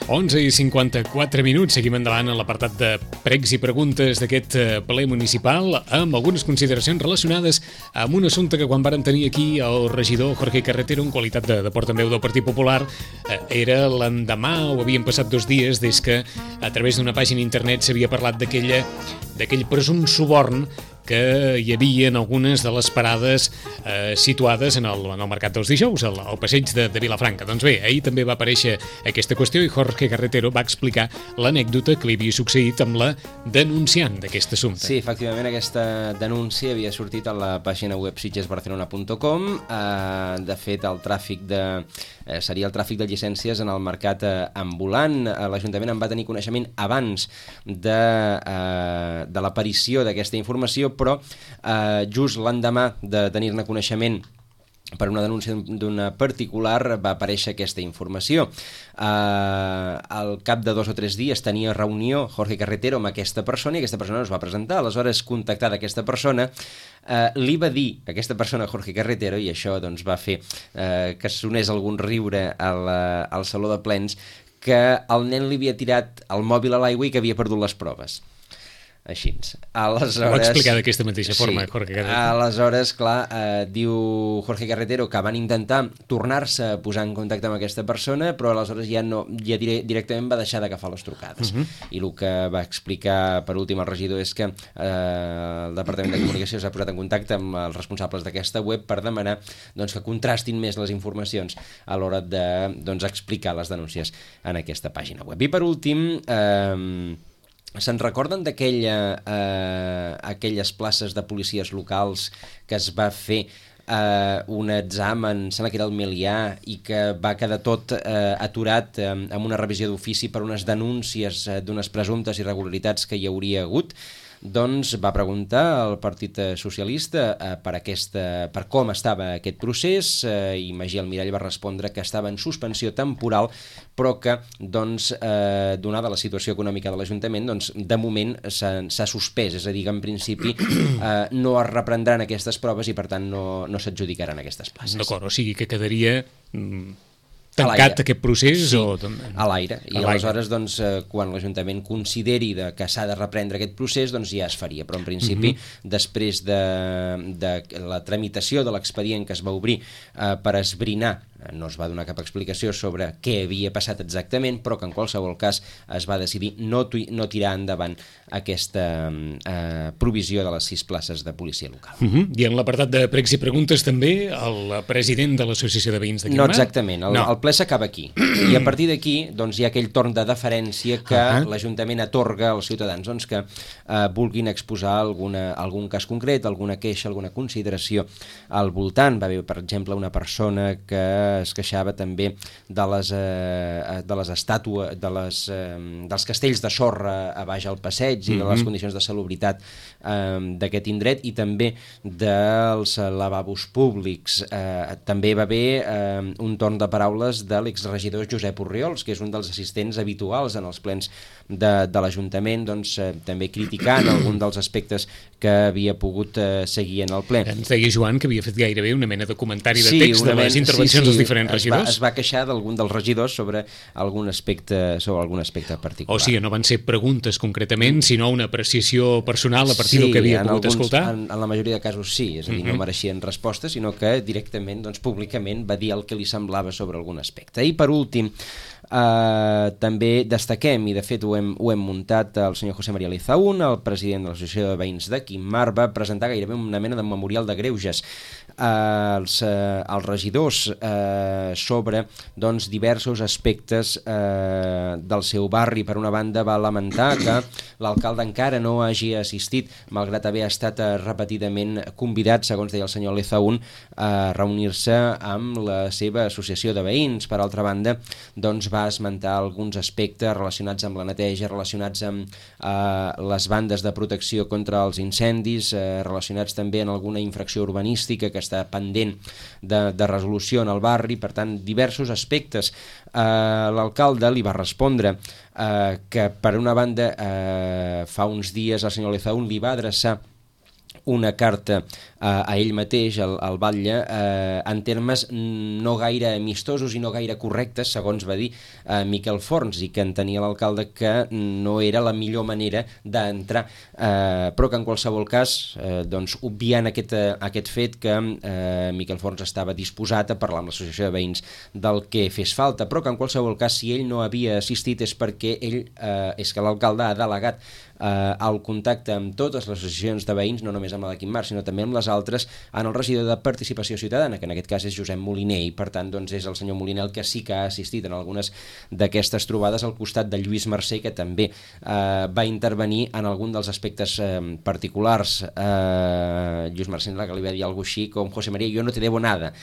onze i cinquanta-quatre minuts, seguim endavant en l'apartat de pregs i preguntes d'aquest ple municipal amb algunes consideracions relacionades amb un assumpte que quan vàrem tenir aquí el regidor Jorge Carretero en qualitat de, de portaveu del Partit Popular eh, era l'endemà, o havien passat dos dies des que a través d'una pàgina internet s'havia parlat d'aquell presum suborn que hi havia en algunes de les parades eh, situades en el, en el Mercat dels Dijous, al, al passeig de, de Vilafranca. Doncs bé, ahir també va aparèixer aquesta qüestió i Jorge Carretero va explicar l'anècdota que li havia succeït amb la denunciant d'aquest assumpte. Sí, efectivament, aquesta denúncia havia sortit a la pàgina web sitges barcelona punt com. Eh, de fet, el tràfic de... Eh, seria el tràfic de llicències en el mercat eh, ambulant. Eh, L'Ajuntament en va tenir coneixement abans de, eh, de l'aparició d'aquesta informació, però eh, just l'endemà de tenir-ne coneixement per una denúncia d'una particular va aparèixer aquesta informació. Eh, al cap de dos o tres dies tenia reunió Jorge Carretero amb aquesta persona i aquesta persona es va presentar. Aleshores, contactada aquesta persona, eh, li va dir a aquesta persona, Jorge Carretero, i això doncs, va fer eh, que sonés algun riure al, al saló de plens, que el nen li havia tirat el mòbil a l'aigua i que havia perdut les proves. Així. Aleshores, ho va explicar d'aquesta mateixa forma, sí, Jorge Carretero. Aleshores, clar, eh, diu Jorge Carretero que van intentar tornar-se a posar en contacte amb aquesta persona, però aleshores ja no, ja dire, directament va deixar d'agafar les trucades. Uh -huh. I el que va explicar per últim el regidor és que eh, el Departament de Comunicació s'ha posat en contacte amb els responsables d'aquesta web per demanar doncs, que contrastin més les informacions a l'hora de doncs, explicar les denúncies en aquesta pàgina web. I per últim... Eh, Se'n recorden d'aquella eh, aquelles places de policies locals que es va fer eh, un examen, sembla que era el Melià, i que va quedar tot eh, aturat eh, amb una revisió d'ofici per unes denúncies eh, d'unes presumptes irregularitats que hi hauria hagut? Doncs va preguntar al Partit Socialista eh, per, aquesta, per com estava aquest procés eh, i Magí Almirall va respondre que estava en suspensió temporal, però que, doncs, eh, donada la situació econòmica de l'Ajuntament, doncs, de moment s'ha suspès, és a dir, que en principi eh, no es reprendran aquestes proves i, per tant, no, no s'adjudicaran aquestes places. D'acord, o sigui que quedaria... Mm... tancat aquest procés? Sí, o... a l'aire. I aleshores, doncs, quan l'Ajuntament consideri de que s'ha de reprendre aquest procés, doncs ja es faria. Però, en principi, uh-huh. després de, de la tramitació de l'expedient que es va obrir eh, per esbrinar no es va donar cap explicació sobre què havia passat exactament, però que en qualsevol cas es va decidir no, no tirar endavant aquesta eh, provisió de les sis places de policia local. Uh -huh. I en l'apartat de pregs i preguntes també el president de l'Associació de Veïns de Quim Mar? No exactament, el, no. el ple s'acaba aquí i a partir d'aquí doncs, hi ha aquell torn de deferència que uh -huh. l'Ajuntament atorga als ciutadans doncs, que eh, vulguin exposar alguna, algun cas concret, alguna queixa, alguna consideració al voltant. Va haver, per exemple, una persona que es queixava també de les, eh, de les estàtues, de les, eh, dels castells de sorra a baix al passeig i de les condicions de salubritat eh, d'aquest indret i també dels lavabos públics. Eh, també va haver eh, un torn de paraules de l'exregidor Josep Orriols, que és un dels assistents habituals en els plens de, de l'Ajuntament, doncs, eh, també criticant algun dels aspectes que havia pogut eh, seguir en el ple. Ens deia Joan que havia fet gairebé una mena de comentari de text sí, de les intervencions sí, sí, dels diferents regidors. Es va, es va queixar d'algun dels regidors sobre algun aspecte, sobre algun aspecte particular. O sigui, no van ser preguntes concretament, sinó una apreciació personal a partir sí, del que havia pogut alguns, escoltar? En, en la majoria de casos sí, és a dir, uh-huh. no mereixien resposta, sinó que directament, doncs, públicament va dir el que li semblava sobre algun aspecte. I per últim, Uh, també destaquem, i de fet ho hem, ho hem muntat, el senyor José María Lizaún, el president de l'Associació de Veïns de Quim Mar, va presentar gairebé una mena de memorial de greuges uh, als, uh, als regidors uh, sobre doncs, diversos aspectes uh, del seu barri. Per una banda, va lamentar que l'alcalde encara no hagi assistit, malgrat haver estat uh, repetidament convidat, segons deia el senyor Lizaún, a reunir-se amb la seva associació de veïns. Per altra banda, doncs, va esmentar alguns aspectes relacionats amb la neteja, relacionats amb eh, les bandes de protecció contra els incendis, eh, relacionats també amb alguna infracció urbanística que està pendent de, de resolució en el barri. Per tant, diversos aspectes. Eh, l'alcalde li va respondre eh, que, per una banda, eh, fa uns dies el senyor Lizaún li va adreçar una carta eh, a ell mateix, al, al batlle, eh, en termes no gaire amistosos i no gaire correctes, segons va dir eh, Miquel Forns, i que entenia l'alcalde que no era la millor manera d'entrar, eh, però que en qualsevol cas, eh, doncs, obviant aquest, eh, aquest fet que eh, Miquel Forns estava disposat a parlar amb l'associació de veïns del que fes falta, però que en qualsevol cas, si ell no havia assistit és perquè ell, eh, és que l'alcalde ha delegat eh, el contacte amb totes les associacions de veïns, no només amb la de Quim Mar, sinó també amb les altres, en el regidor de Participació Ciutadana, que en aquest cas és Josep Moliner, i per tant doncs, és el senyor Moliner el que sí que ha assistit en algunes d'aquestes trobades, al costat de Lluís Mercè, que també eh, va intervenir en algun dels aspectes eh, particulars. Eh, Lluís Mercè, que li va dir alguna cosa així com: José María, yo no te debo nada.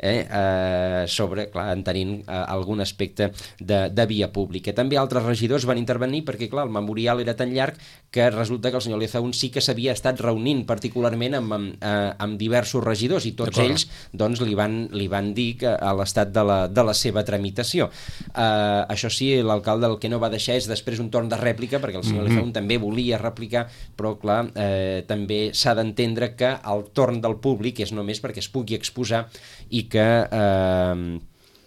Eh, eh, sobre, clar, entenint eh, algun aspecte de, de via pública. També altres regidors van intervenir perquè, clar, el memorial era tan llarg que resulta que el senyor Lizaún sí que s'havia estat reunint particularment amb, amb, eh, amb diversos regidors, i tots ells doncs, li, van, li van dir que a l'estat de, la, de la seva tramitació. Eh, això sí, l'alcalde el que no va deixar és després un torn de rèplica, perquè el senyor mm-hmm. Lizaún també volia replicar, però clar, eh, també s'ha d'entendre que el torn del públic és només perquè es pugui exposar i que eh,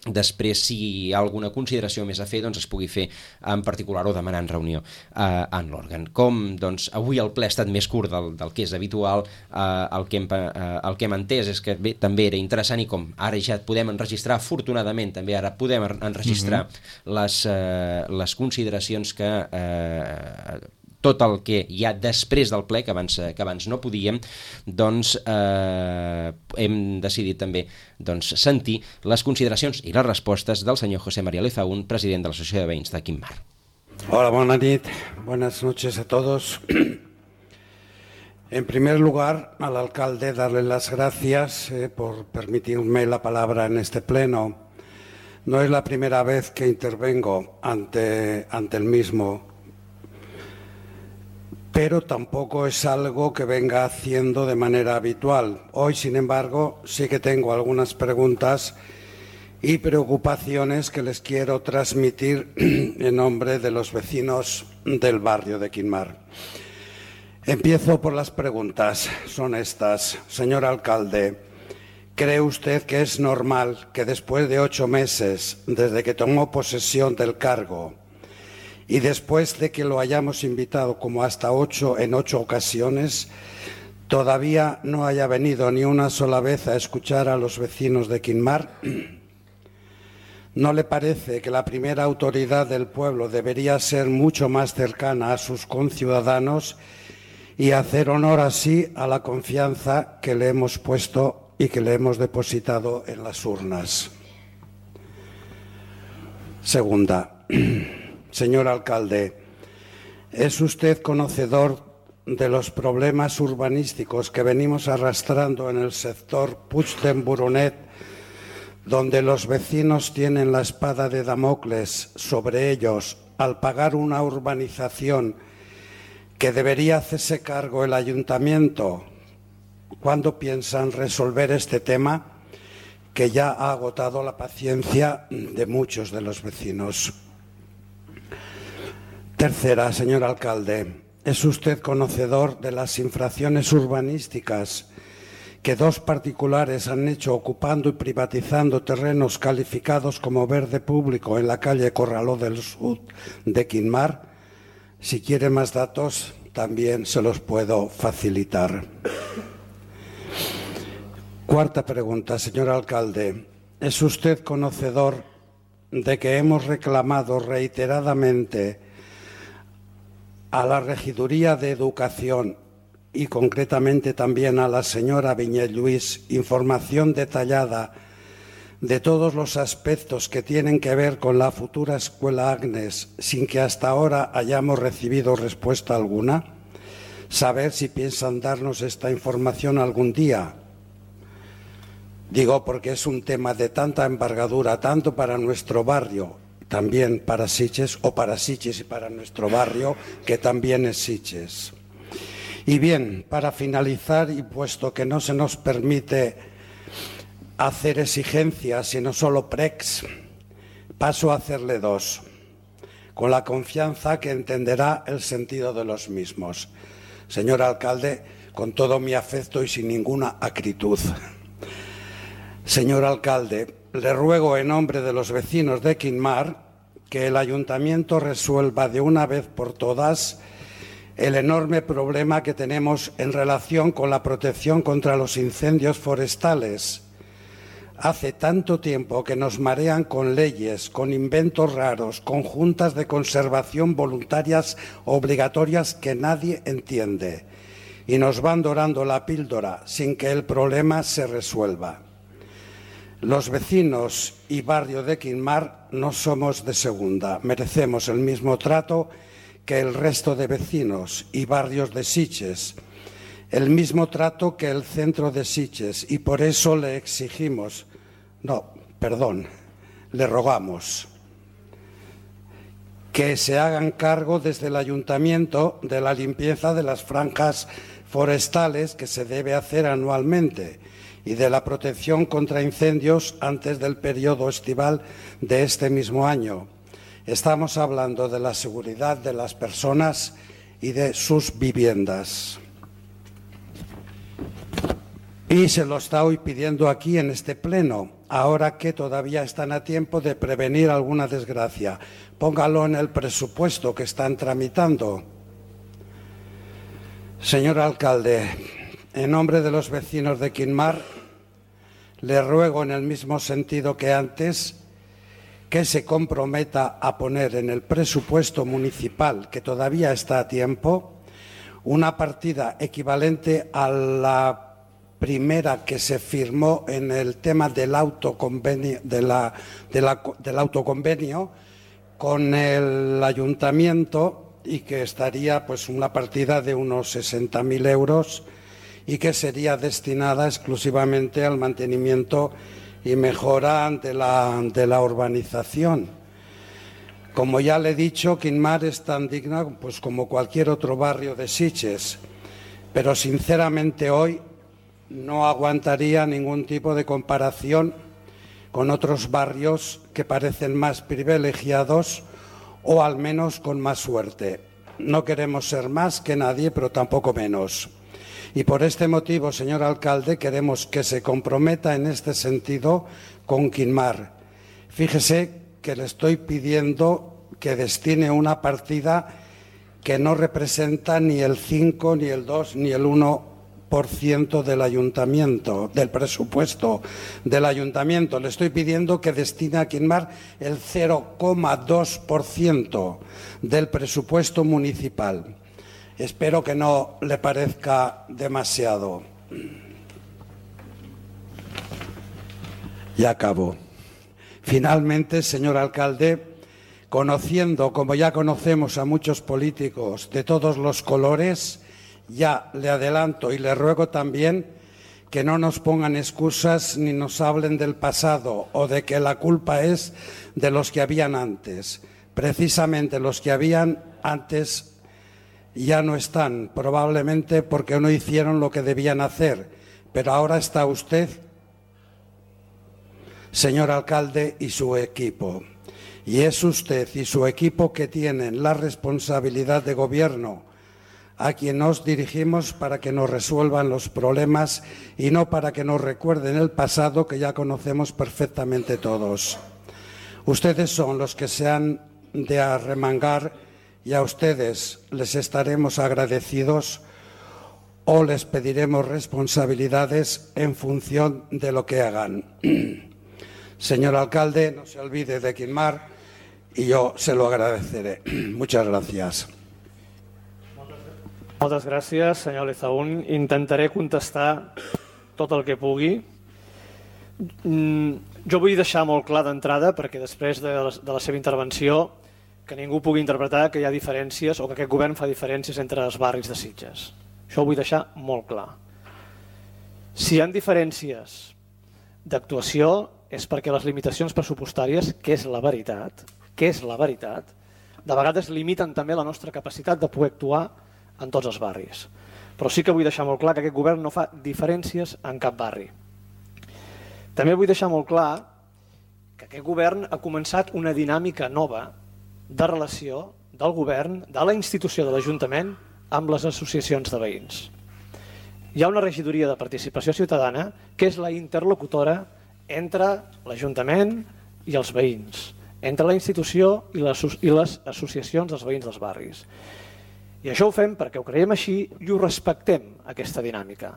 després, si hi ha alguna consideració més a fer, doncs es pugui fer en particular o demanar en reunió eh, en l'òrgan. Com doncs, avui el ple ha estat més curt del, del que és habitual, eh, el, que hem, eh, el que hem entès és que bé, també era interessant, i com ara ja podem enregistrar, afortunadament també ara podem enregistrar mm-hmm. les, eh, les consideracions que eh, tot el que hi ha després del ple, que abans, que abans no podíem, doncs eh, hem decidit també doncs, sentir les consideracions i les respostes del senyor José María Lizaún, president de l'Associació de Veïns de Quim Mar. Hola, buena nit, buenas noches a todos. En primer lugar, al alcalde darle las gracias eh, por permitirme la palabra en este pleno. No es la primera vez que intervengo ante, ante el mismo, pero tampoco es algo que venga haciendo de manera habitual. Hoy, sin embargo, sí que tengo algunas preguntas y preocupaciones que les quiero transmitir en nombre de los vecinos del barrio de Quim Mar. Empiezo por las preguntas, son estas. Señor alcalde, ¿cree usted que es normal que después de ocho meses desde que tomó posesión del cargo y después de que lo hayamos invitado como hasta ocho en ocho ocasiones, todavía no haya venido ni una sola vez a escuchar a los vecinos de Quim Mar? ¿No le parece que la primera autoridad del pueblo debería ser mucho más cercana a sus conciudadanos y hacer honor así a la confianza que le hemos puesto y que le hemos depositado en las urnas? Segunda, señor alcalde, ¿es usted conocedor de los problemas urbanísticos que venimos arrastrando en el sector Puig-de-Boronat, donde los vecinos tienen la espada de Damocles sobre ellos al pagar una urbanización que debería hacerse cargo el ayuntamiento? ¿Cuándo piensan resolver este tema que ya ha agotado la paciencia de muchos de los vecinos? Tercera, señor alcalde, ¿es usted conocedor de las infracciones urbanísticas que dos particulares han hecho ocupando y privatizando terrenos calificados como verde público en la calle Corraló del Sur de Quinmar? Si quiere más datos, también se los puedo facilitar. Cuarta pregunta, señor alcalde. ¿Es usted conocedor de que hemos reclamado reiteradamente a la Regiduría de Educación y concretamente también a la señora Viñé Lluís información detallada de todos los aspectos que tienen que ver con la futura escuela Agnes, sin que hasta ahora hayamos recibido respuesta alguna? Saber si piensan darnos esta información algún día. Digo porque es un tema de tanta envergadura, tanto para nuestro barrio, también para Sitges, o para Sitges y para nuestro barrio, que también es Sitges. Y bien, para finalizar, y puesto que no se nos permite hacer exigencias, sino solo pregs, paso a hacerle dos, con la confianza que entenderá el sentido de los mismos. Señor alcalde, con todo mi afecto y sin ninguna acritud. Señor alcalde, le ruego en nombre de los vecinos de Quinmar que el ayuntamiento resuelva de una vez por todas el enorme problema que tenemos en relación con la protección contra los incendios forestales. Hace tanto tiempo que nos marean con leyes, con inventos raros, con juntas de conservación voluntarias obligatorias que nadie entiende, y nos van dorando la píldora sin que el problema se resuelva. Los vecinos y barrio de Quinmar no somos de segunda, merecemos el mismo trato que el resto de vecinos y barrios de Sitges, el mismo trato que el centro de Sitges, y por eso le exigimos, no, perdón, le rogamos que se hagan cargo desde el ayuntamiento de la limpieza de las franjas forestales que se debe hacer anualmente y de la protección contra incendios antes del periodo estival de este mismo año. Estamos hablando de la seguridad de las personas y de sus viviendas. Y se lo está hoy pidiendo aquí en este pleno, ahora que todavía están a tiempo de prevenir alguna desgracia. Póngalo en el presupuesto que están tramitando. Señor alcalde, en nombre de los vecinos de Quinmar, le ruego en el mismo sentido que antes que se comprometa a poner en el presupuesto municipal, que todavía está a tiempo, una partida equivalente a la primera que se firmó en el tema del autoconvenio, de la, de la, del autoconvenio con el ayuntamiento, y que estaría pues una partida de unos sesenta mil euros y que sería destinada exclusivamente al mantenimiento y mejora de la, de la urbanización. Como ya le he dicho, Quinmar es tan digna pues, como cualquier otro barrio de Sitges, pero sinceramente hoy no aguantaría ningún tipo de comparación con otros barrios que parecen más privilegiados o al menos con más suerte. No queremos ser más que nadie, pero tampoco menos. Y por este motivo, señor alcalde, queremos que se comprometa en este sentido con Quinmar. Fíjese que le estoy pidiendo que destine una partida que no representa ni el cinco, ni el dos, ni el uno por ciento del ayuntamiento, del presupuesto del ayuntamiento. Le estoy pidiendo que destine a Quinmar el cero coma dos por ciento del presupuesto municipal. Espero que no le parezca demasiado. Y acabo. Finalmente, señor alcalde, conociendo, como ya conocemos a muchos políticos de todos los colores, ya le adelanto y le ruego también que no nos pongan excusas ni nos hablen del pasado o de que la culpa es de los que habían antes. Precisamente los que habían antes ya no están, probablemente porque no hicieron lo que debían hacer, pero ahora está usted, señor alcalde, y su equipo. Y es usted y su equipo que tienen la responsabilidad de gobierno a quien nos dirigimos para que nos resuelvan los problemas y no para que nos recuerden el pasado que ya conocemos perfectamente todos. Ustedes son los que se han de arremangar y a ustedes les estaremos agradecidos o les pediremos responsabilidades en función de lo que hagan. Señor alcalde, no se olvide de Quinmar y yo se lo agradeceré. Muchas gracias. Moltes gràcies, senyor Lezaún. Intentaré contestar tot el que pugui. Jo vull deixar molt clar d'entrada, perquè després de la seva intervenció, que ningú pugui interpretar que hi ha diferències o que aquest govern fa diferències entre els barris de Sitges. Això ho vull deixar molt clar. Si hi ha diferències d'actuació és perquè les limitacions pressupostàries, que és la veritat, que és la veritat, de vegades limiten també la nostra capacitat de poder actuar en tots els barris. Però sí que vull deixar molt clar que aquest govern no fa diferències en cap barri. També vull deixar molt clar que aquest govern ha començat una dinàmica nova de relació del govern, de la institució de l'Ajuntament, amb les associacions de veïns. Hi ha una regidoria de participació ciutadana que és la interlocutora entre l'Ajuntament i els veïns, entre la institució i les associacions dels veïns dels barris. I això ho fem perquè ho creiem així i ho respectem, aquesta dinàmica.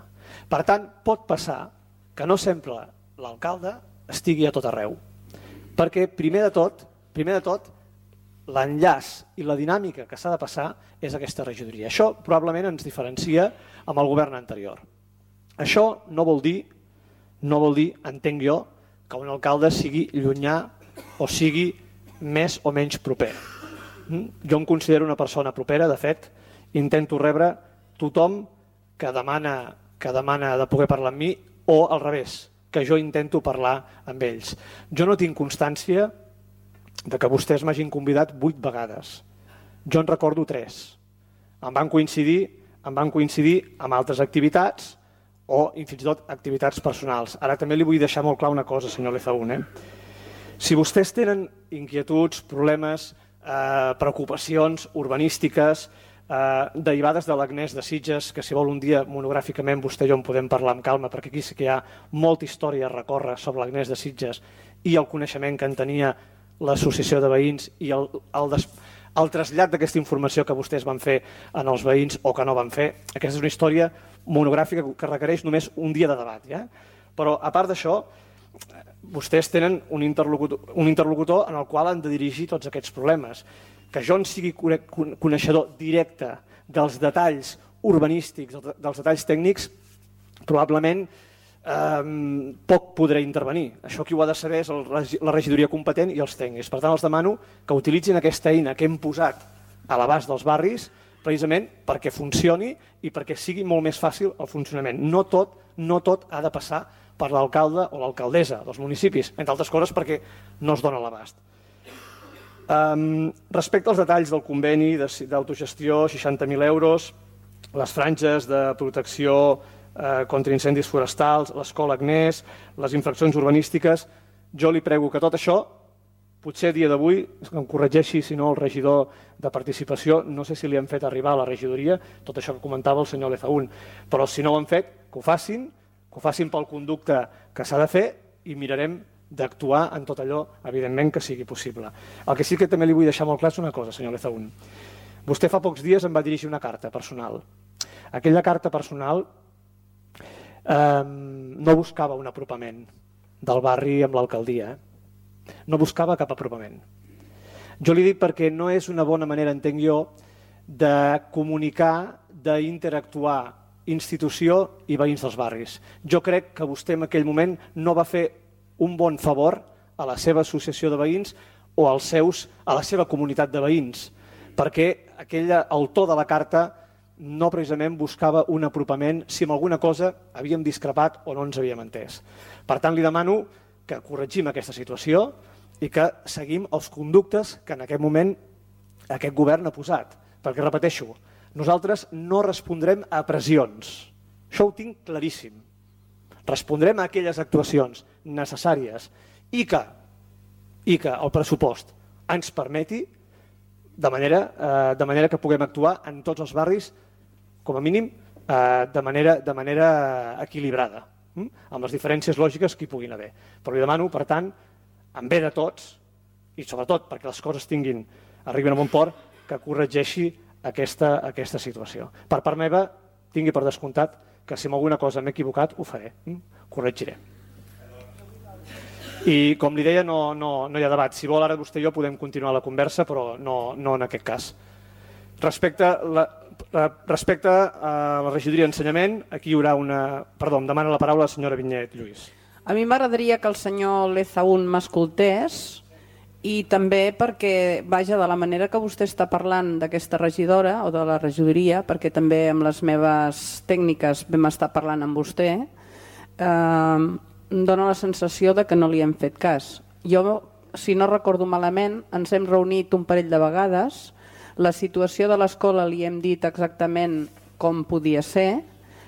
Per tant, pot passar que no sempre l'alcalde estigui a tot arreu, perquè primer de tot, primer de tot, l'enllaç i la dinàmica que s'ha de passar és aquesta regidoria. Això probablement ens diferencia amb el govern anterior. Això no vol dir, no vol dir, entenc jo, que un alcalde sigui llunyà o sigui més o menys proper. Jo em considero una persona propera, de fet, intento rebre tothom que demana, que demana de poder parlar amb mi o al revés, que jo intento parlar amb ells. Jo no tinc constància de que vostès m'hagin convidat vuit vegades. Jo en recordo tres. Em van coincidir, em van coincidir amb altres activitats o fins i tot activitats personals. Ara també li vull deixar molt clar una cosa, senyor Lezaún. Eh? Si vostès tenen inquietuds, problemes, eh, preocupacions urbanístiques eh, derivades de l'Agnès de Sitges, que si vol un dia monogràficament vostè i jo en podem parlar amb calma, perquè aquí sí que hi ha molta història a recórrer sobre l'Agnès de Sitges i el coneixement que en tenia l'associació de veïns i el, el, des, el trasllat d'aquesta informació que vostès van fer en els veïns o que no van fer. Aquesta és una història monogràfica que requereix només un dia de debat. Ja? Però a part d'això, vostès tenen un interlocutor, un interlocutor en el qual han de dirigir tots aquests problemes. Que jo en sigui coneixedor directe dels detalls urbanístics, dels detalls tècnics, probablement eh, poc podré intervenir. Això qui ho ha de saber és el, la regidoria competent i els tècnics. Per tant, els demano que utilitzin aquesta eina que hem posat a l'abast dels barris precisament perquè funcioni i perquè sigui molt més fàcil el funcionament. No tot, no tot ha de passar per l'alcalde o l'alcaldessa dels municipis, entre altres coses perquè no es dona l'abast. Um, respecte als detalls del conveni d'autogestió, seixanta mil euros, les franges de protecció eh, contra incendis forestals, l'escola Agnès, les infraccions urbanístiques, jo li prego que tot això, potser a dia d'avui, em corregeixi si no el regidor de participació, no sé si li han fet arribar a la regidoria, tot això que comentava el senyor Lezaún, però si no ho han fet, que ho facin, que ho facin pel conducte que s'ha de fer i mirarem d'actuar en tot allò, evidentment, que sigui possible. El que sí que també li vull deixar molt clar és una cosa, senyor Lezaún. Vostè fa pocs dies em va dirigir una carta personal. Aquella carta personal eh, no buscava un apropament del barri amb l'alcaldia, eh? No buscava cap apropament. Jo li dic perquè no és una bona manera, entenc jo, de comunicar, d'interactuar institució i veïns dels barris. Jo crec que vostè en aquell moment no va fer un bon favor a la seva associació de veïns o als seus, a la seva comunitat de veïns, perquè aquella, el to de la carta no precisament buscava un apropament si en alguna cosa havíem discrepat o no ens havíem entès. Per tant, li demano que corregim aquesta situació i que seguim els conductes que en aquest moment aquest govern ha posat. Perquè, repeteixo, nosaltres no respondrem a pressions. Això ho tinc claríssim. Respondrem a aquelles actuacions necessàries i que, i que el pressupost ens permeti de manera, eh, de manera que puguem actuar en tots els barris, com a mínim, eh, de, manera, de manera equilibrada, hm? amb les diferències lògiques que hi puguin haver. Però li demano, per tant, en bé de tots, i sobretot perquè les coses tinguin, arribin a bon port, que corregeixi aquesta, aquesta situació. Per part meva, tingui per descomptat que si en alguna cosa m'he equivocat, ho faré, hm? corregiré. I com li deia, no, no, no hi ha debat. Si vol, ara vostè i jo podem continuar la conversa, però no, no en aquest cas. Respecte, la, respecte a la regidoria d'ensenyament, aquí hi haurà una... Perdó, em demana la paraula la senyora Vinyet Lluís. A mi m'agradaria que el senyor Lezaún m'escoltés i també perquè, vaja, de la manera que vostè està parlant d'aquesta regidora o de la regidoria, perquè també amb les meves tècniques vam estar parlant amb vostè, eh, em dóna la sensació de que no li hem fet cas. Jo, si no recordo malament, ens hem reunit un parell de vegades, la situació de l'escola li hem dit exactament com podia ser,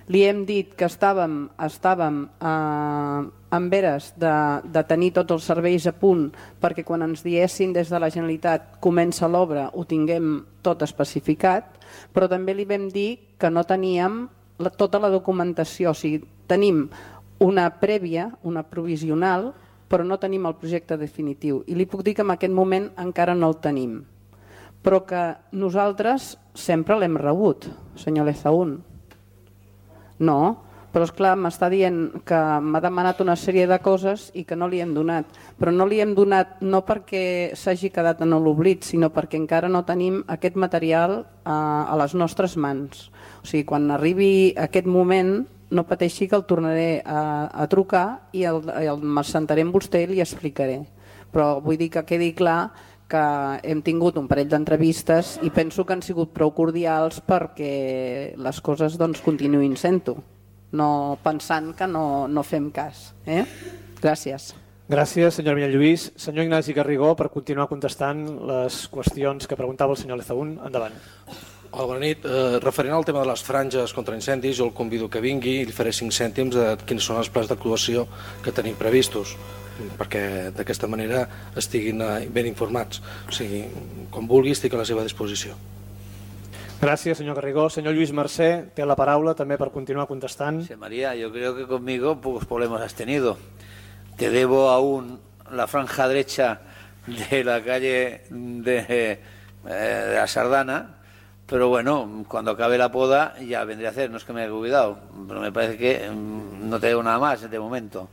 li hem dit que estàvem, estàvem eh, en veres de, de tenir tots els serveis a punt perquè quan ens diessin des de la Generalitat comença l'obra ho tinguem tot especificat, però també li vam dir que no teníem la, tota la documentació, o sigui, tenim una prèvia, una provisional, però no tenim el projecte definitiu. I li puc dir que en aquest moment encara no el tenim. Però que nosaltres sempre l'hem rebut, senyor Lezaún. No, però esclar, m'està dient que m'ha demanat una sèrie de coses i que no li hem donat. Però no li hem donat no perquè s'hagi quedat en l'oblit, sinó perquè encara no tenim aquest material a, a les nostres mans. O sigui, quan arribi aquest moment, no pateixi que el tornaré a, a trucar i el, el sentaré amb vostè i li explicaré. Però vull dir que quedi clar que hem tingut un parell d'entrevistes i penso que han sigut prou cordials perquè les coses doncs, continuïn sent-ho, no pensant que no, no fem cas. Eh? Gràcies. Gràcies, senyor Vinyet Lluís. Senyor Ignasi Garrigó, per continuar contestant les qüestions que preguntava el senyor Lezaún. Endavant. Hola, bona nit. Eh, referent al tema de les franges contra incendis, jo el convido que vingui i li faré cinc cèntims de quins són els plans d'actuació que tenim previstos, perquè d'aquesta manera estiguin ben informats. O sigui, com vulgui, estic a la seva disposició. Gràcies, senyor Garrigó. Senyor Lluís Mercè, té la paraula també per continuar contestant. Sí, María, yo creo que conmigo pocos problemas has tenido. Te debo aún la franja derecha de la calle de, eh, de la Sardana, pero bueno, cuando acabe la poda ya vendré a hacer, no es que me haya olvidado, pero me parece que no te debo nada más de momento.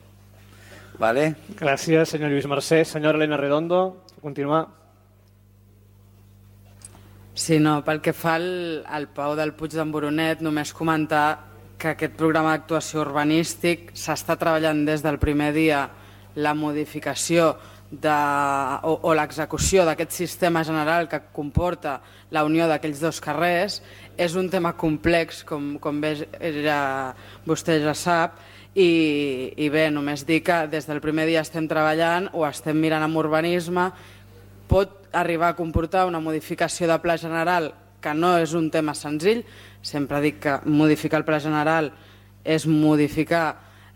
¿Vale? Gràcies, senyor Lluís Mercè. Senyora Elena Redondo, continuar. Sí, no, pel que fa al, al Pau del Puig d'en Boronet, només comentar que aquest programa d'actuació urbanístic s'està treballant des del primer dia la modificació de, o, o l'execució d'aquest sistema general que comporta la unió d'aquells dos carrers. És un tema complex, com, com bé ja, vostè ja sap, i, i bé, només dir que des del primer dia estem treballant, o estem mirant amb urbanisme, pot arribar a comportar una modificació de pla general que no és un tema senzill. Sempre dic que modificar el pla general és modificar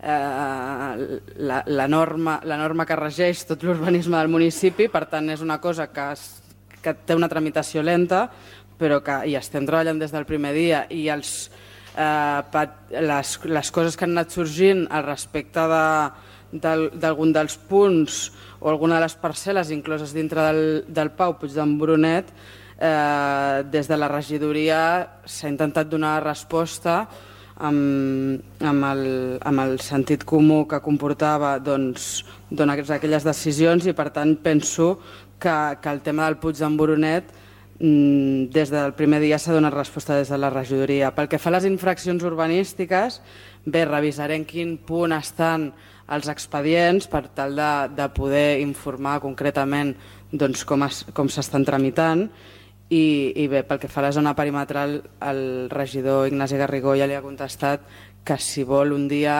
eh, la, la, norma, la norma que regeix tot l'urbanisme del municipi, per tant és una cosa que, es, que té una tramitació lenta, però que hi estem treballant des del primer dia i els, eh, les, les coses que han anat sorgint al respecte d'algun de, dels punts o alguna de les parcel·les incloses dintre del, del Pau Puig d'en Boronet, eh, des de la regidoria s'ha intentat donar resposta amb, amb, el, amb el sentit comú que comportava doncs, donar aquelles decisions i per tant penso que, que el tema del Puig d'en Boronat des del primer dia s'ha donat resposta des de la regidoria. Pel que fa a les infraccions urbanístiques, bé, revisarem quin punt estan els expedients per tal de, de poder informar concretament doncs, com, es, com s'estan tramitant i, i bé, pel que fa a la zona perimetral, el regidor Ignasi Garrigó ja li ha contestat que si vol un dia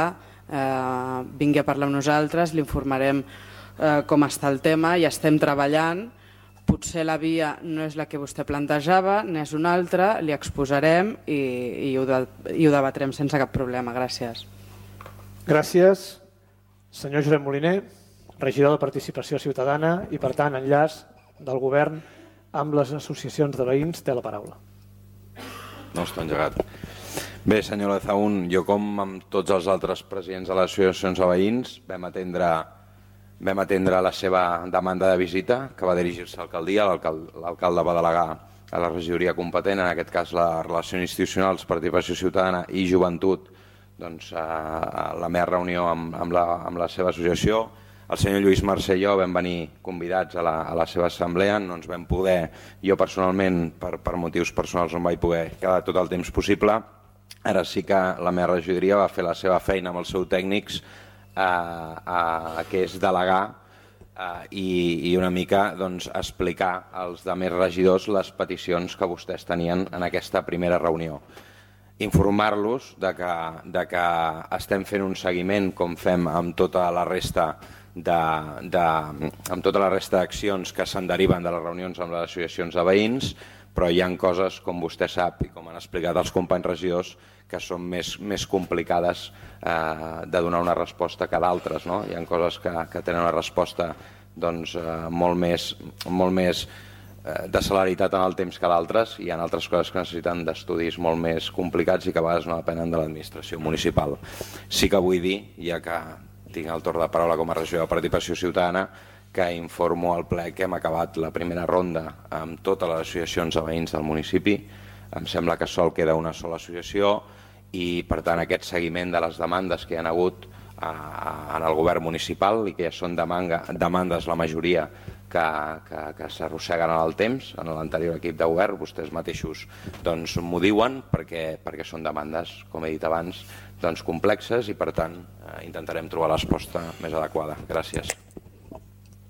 eh, vingui a parlar amb nosaltres, li informarem eh, com està el tema i estem treballant. Potser la via no és la que vostè plantejava, n'és una altra, li exposarem i, i, ho de, i ho debatrem sense cap problema. Gràcies. Gràcies. Senyor Josep Moliner, regidor de Participació Ciutadana i, per tant, enllaç del govern amb les associacions de veïns, té la paraula. No està engegat. Bé, senyor Lezaún, jo com amb tots els altres presidents de les associacions de veïns vam atendre Vam atendre la seva demanda de visita, que va dirigir-se a l'alcaldia. L'alcalde va delegar a la regidoria competent, en aquest cas la Relacions Institucionals, Participació Ciutadana i Joventut, doncs, a la meva reunió amb, amb, la, amb la seva associació. El senyor Lluís Mercè i jo vam venir convidats a la, a la seva assemblea, no ens vam poder, jo personalment, per, per motius personals no em vaig poder quedar tot el temps possible. Ara sí que la meva regidoria va fer la seva feina amb els seus tècnics, A, a, que és delegar a, i, i una mica doncs, explicar als altres regidors les peticions que vostès tenien en aquesta primera reunió. Informar-los de que, de que estem fent un seguiment com fem amb tota la resta de, de, amb tota la resta d'accions que se'n deriven de les reunions amb les associacions de veïns, però hi ha coses, com vostè sap i com han explicat els companys regidors, que són més, més complicades eh, de donar una resposta que d'altres. No? Hi ha coses que, que tenen una resposta doncs, eh, molt més, molt més eh, de celeritat en el temps que d'altres, i hi ha altres coses que necessiten d'estudis molt més complicats i que a vegades no depenen de l'administració municipal. Sí que vull dir, ja que tinc el torn de paraula com a regidor de Participació Ciutadana, que informo al ple que hem acabat la primera ronda amb totes les associacions de veïns del municipi. Em sembla que sol queda una sola associació i, per tant, aquest seguiment de les demandes que hi ha hagut a, a, en el govern municipal i que ja són demanga, demandes la majoria que, que, que s'arrosseguen en el temps, en l'anterior equip de govern, vostès mateixos doncs, m'ho diuen perquè, perquè són demandes, com he dit abans, doncs, complexes i, per tant, eh, intentarem trobar la resposta més adequada. Gràcies.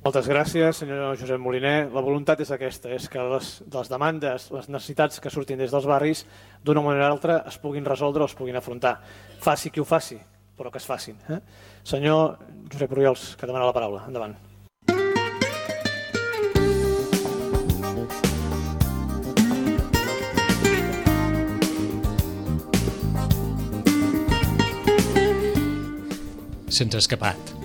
Moltes gràcies, senyor Josep Moliner. La voluntat és aquesta, és que les, les demandes, les necessitats que surtin des dels barris, d'una manera o altra es puguin resoldre o es puguin afrontar. Faci qui ho faci, però que es facin. Eh? Senyor Josep Oriols, que demana la paraula. Endavant. Se'ns ha escapat.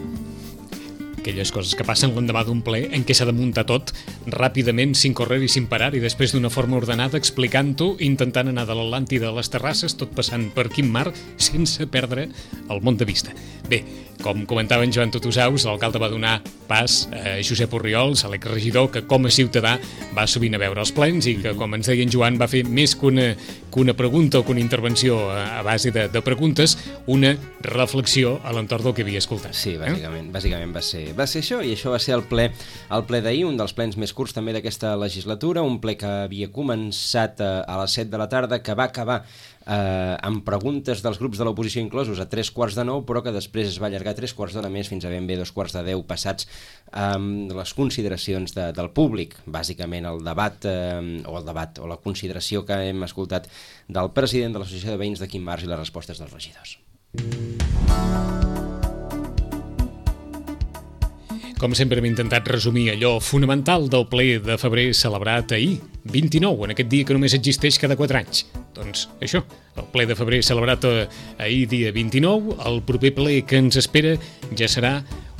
Aquelles coses que passen l'endemà d'un ple en què s'ha de muntar tot ràpidament, sin correr i sin parar, i després d'una forma ordenada, explicant-ho, intentant anar de l'Atlàntida a les terrasses, tot passant per Quim Mar, sense perdre el món de vista. Bé, com comentava en Joan Tutusaus, l'alcalde va donar pas a Josep Oriols, a l'exregidor, que com a ciutadà va sovint a veure els plens i que, com ens deia en Joan, va fer més que una, que una pregunta o que una intervenció a, a base de, de preguntes, una reflexió a l'entorn del que havia escoltat. Sí, bàsicament, eh? bàsicament va ser Va ser això, i això va ser el ple, el ple d'ahir, un dels plens més curts també d'aquesta legislatura, un ple que havia començat a, a les set de la tarda, que va acabar eh, amb preguntes dels grups de l'oposició inclosos a tres quarts de nou, però que després es va allargar tres quarts d'hora més fins a ben bé dos quarts de deu passats amb les consideracions de, del públic, bàsicament el debat, eh, o el debat, o la consideració que hem escoltat del president de l'Associació de Veïns de Quim Mar i les respostes dels regidors. Com sempre hem intentat resumir allò fonamental del ple de febrer celebrat ahir, vint-i-nou, en aquest dia que només existeix cada quatre anys. Doncs això, el ple de febrer celebrat ahir dia vint-i-nou, el proper ple que ens espera ja serà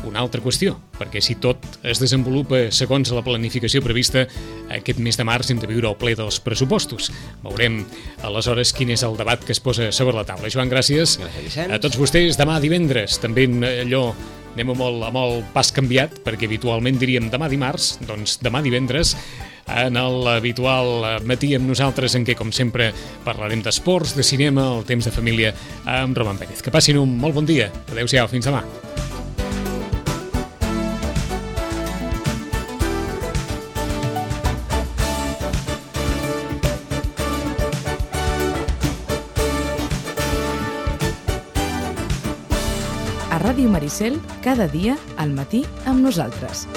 una altra qüestió, perquè si tot es desenvolupa segons la planificació prevista, aquest mes de març hem de viure el ple dels pressupostos. Veurem aleshores quin és el debat que es posa sobre la taula. Joan, gràcies. Gràcies a tots vostès. Demà divendres, també allò, anem amb el, amb el pas canviat, perquè habitualment diríem demà dimarts, doncs demà divendres en l'habitual matí amb nosaltres, en què, com sempre, parlarem d'esports, de cinema, el temps de família amb Roman Pérez. Que passin un molt bon dia. Adéu-siau, fins demà. A Ràdio Maricel, cada dia al matí amb nosaltres.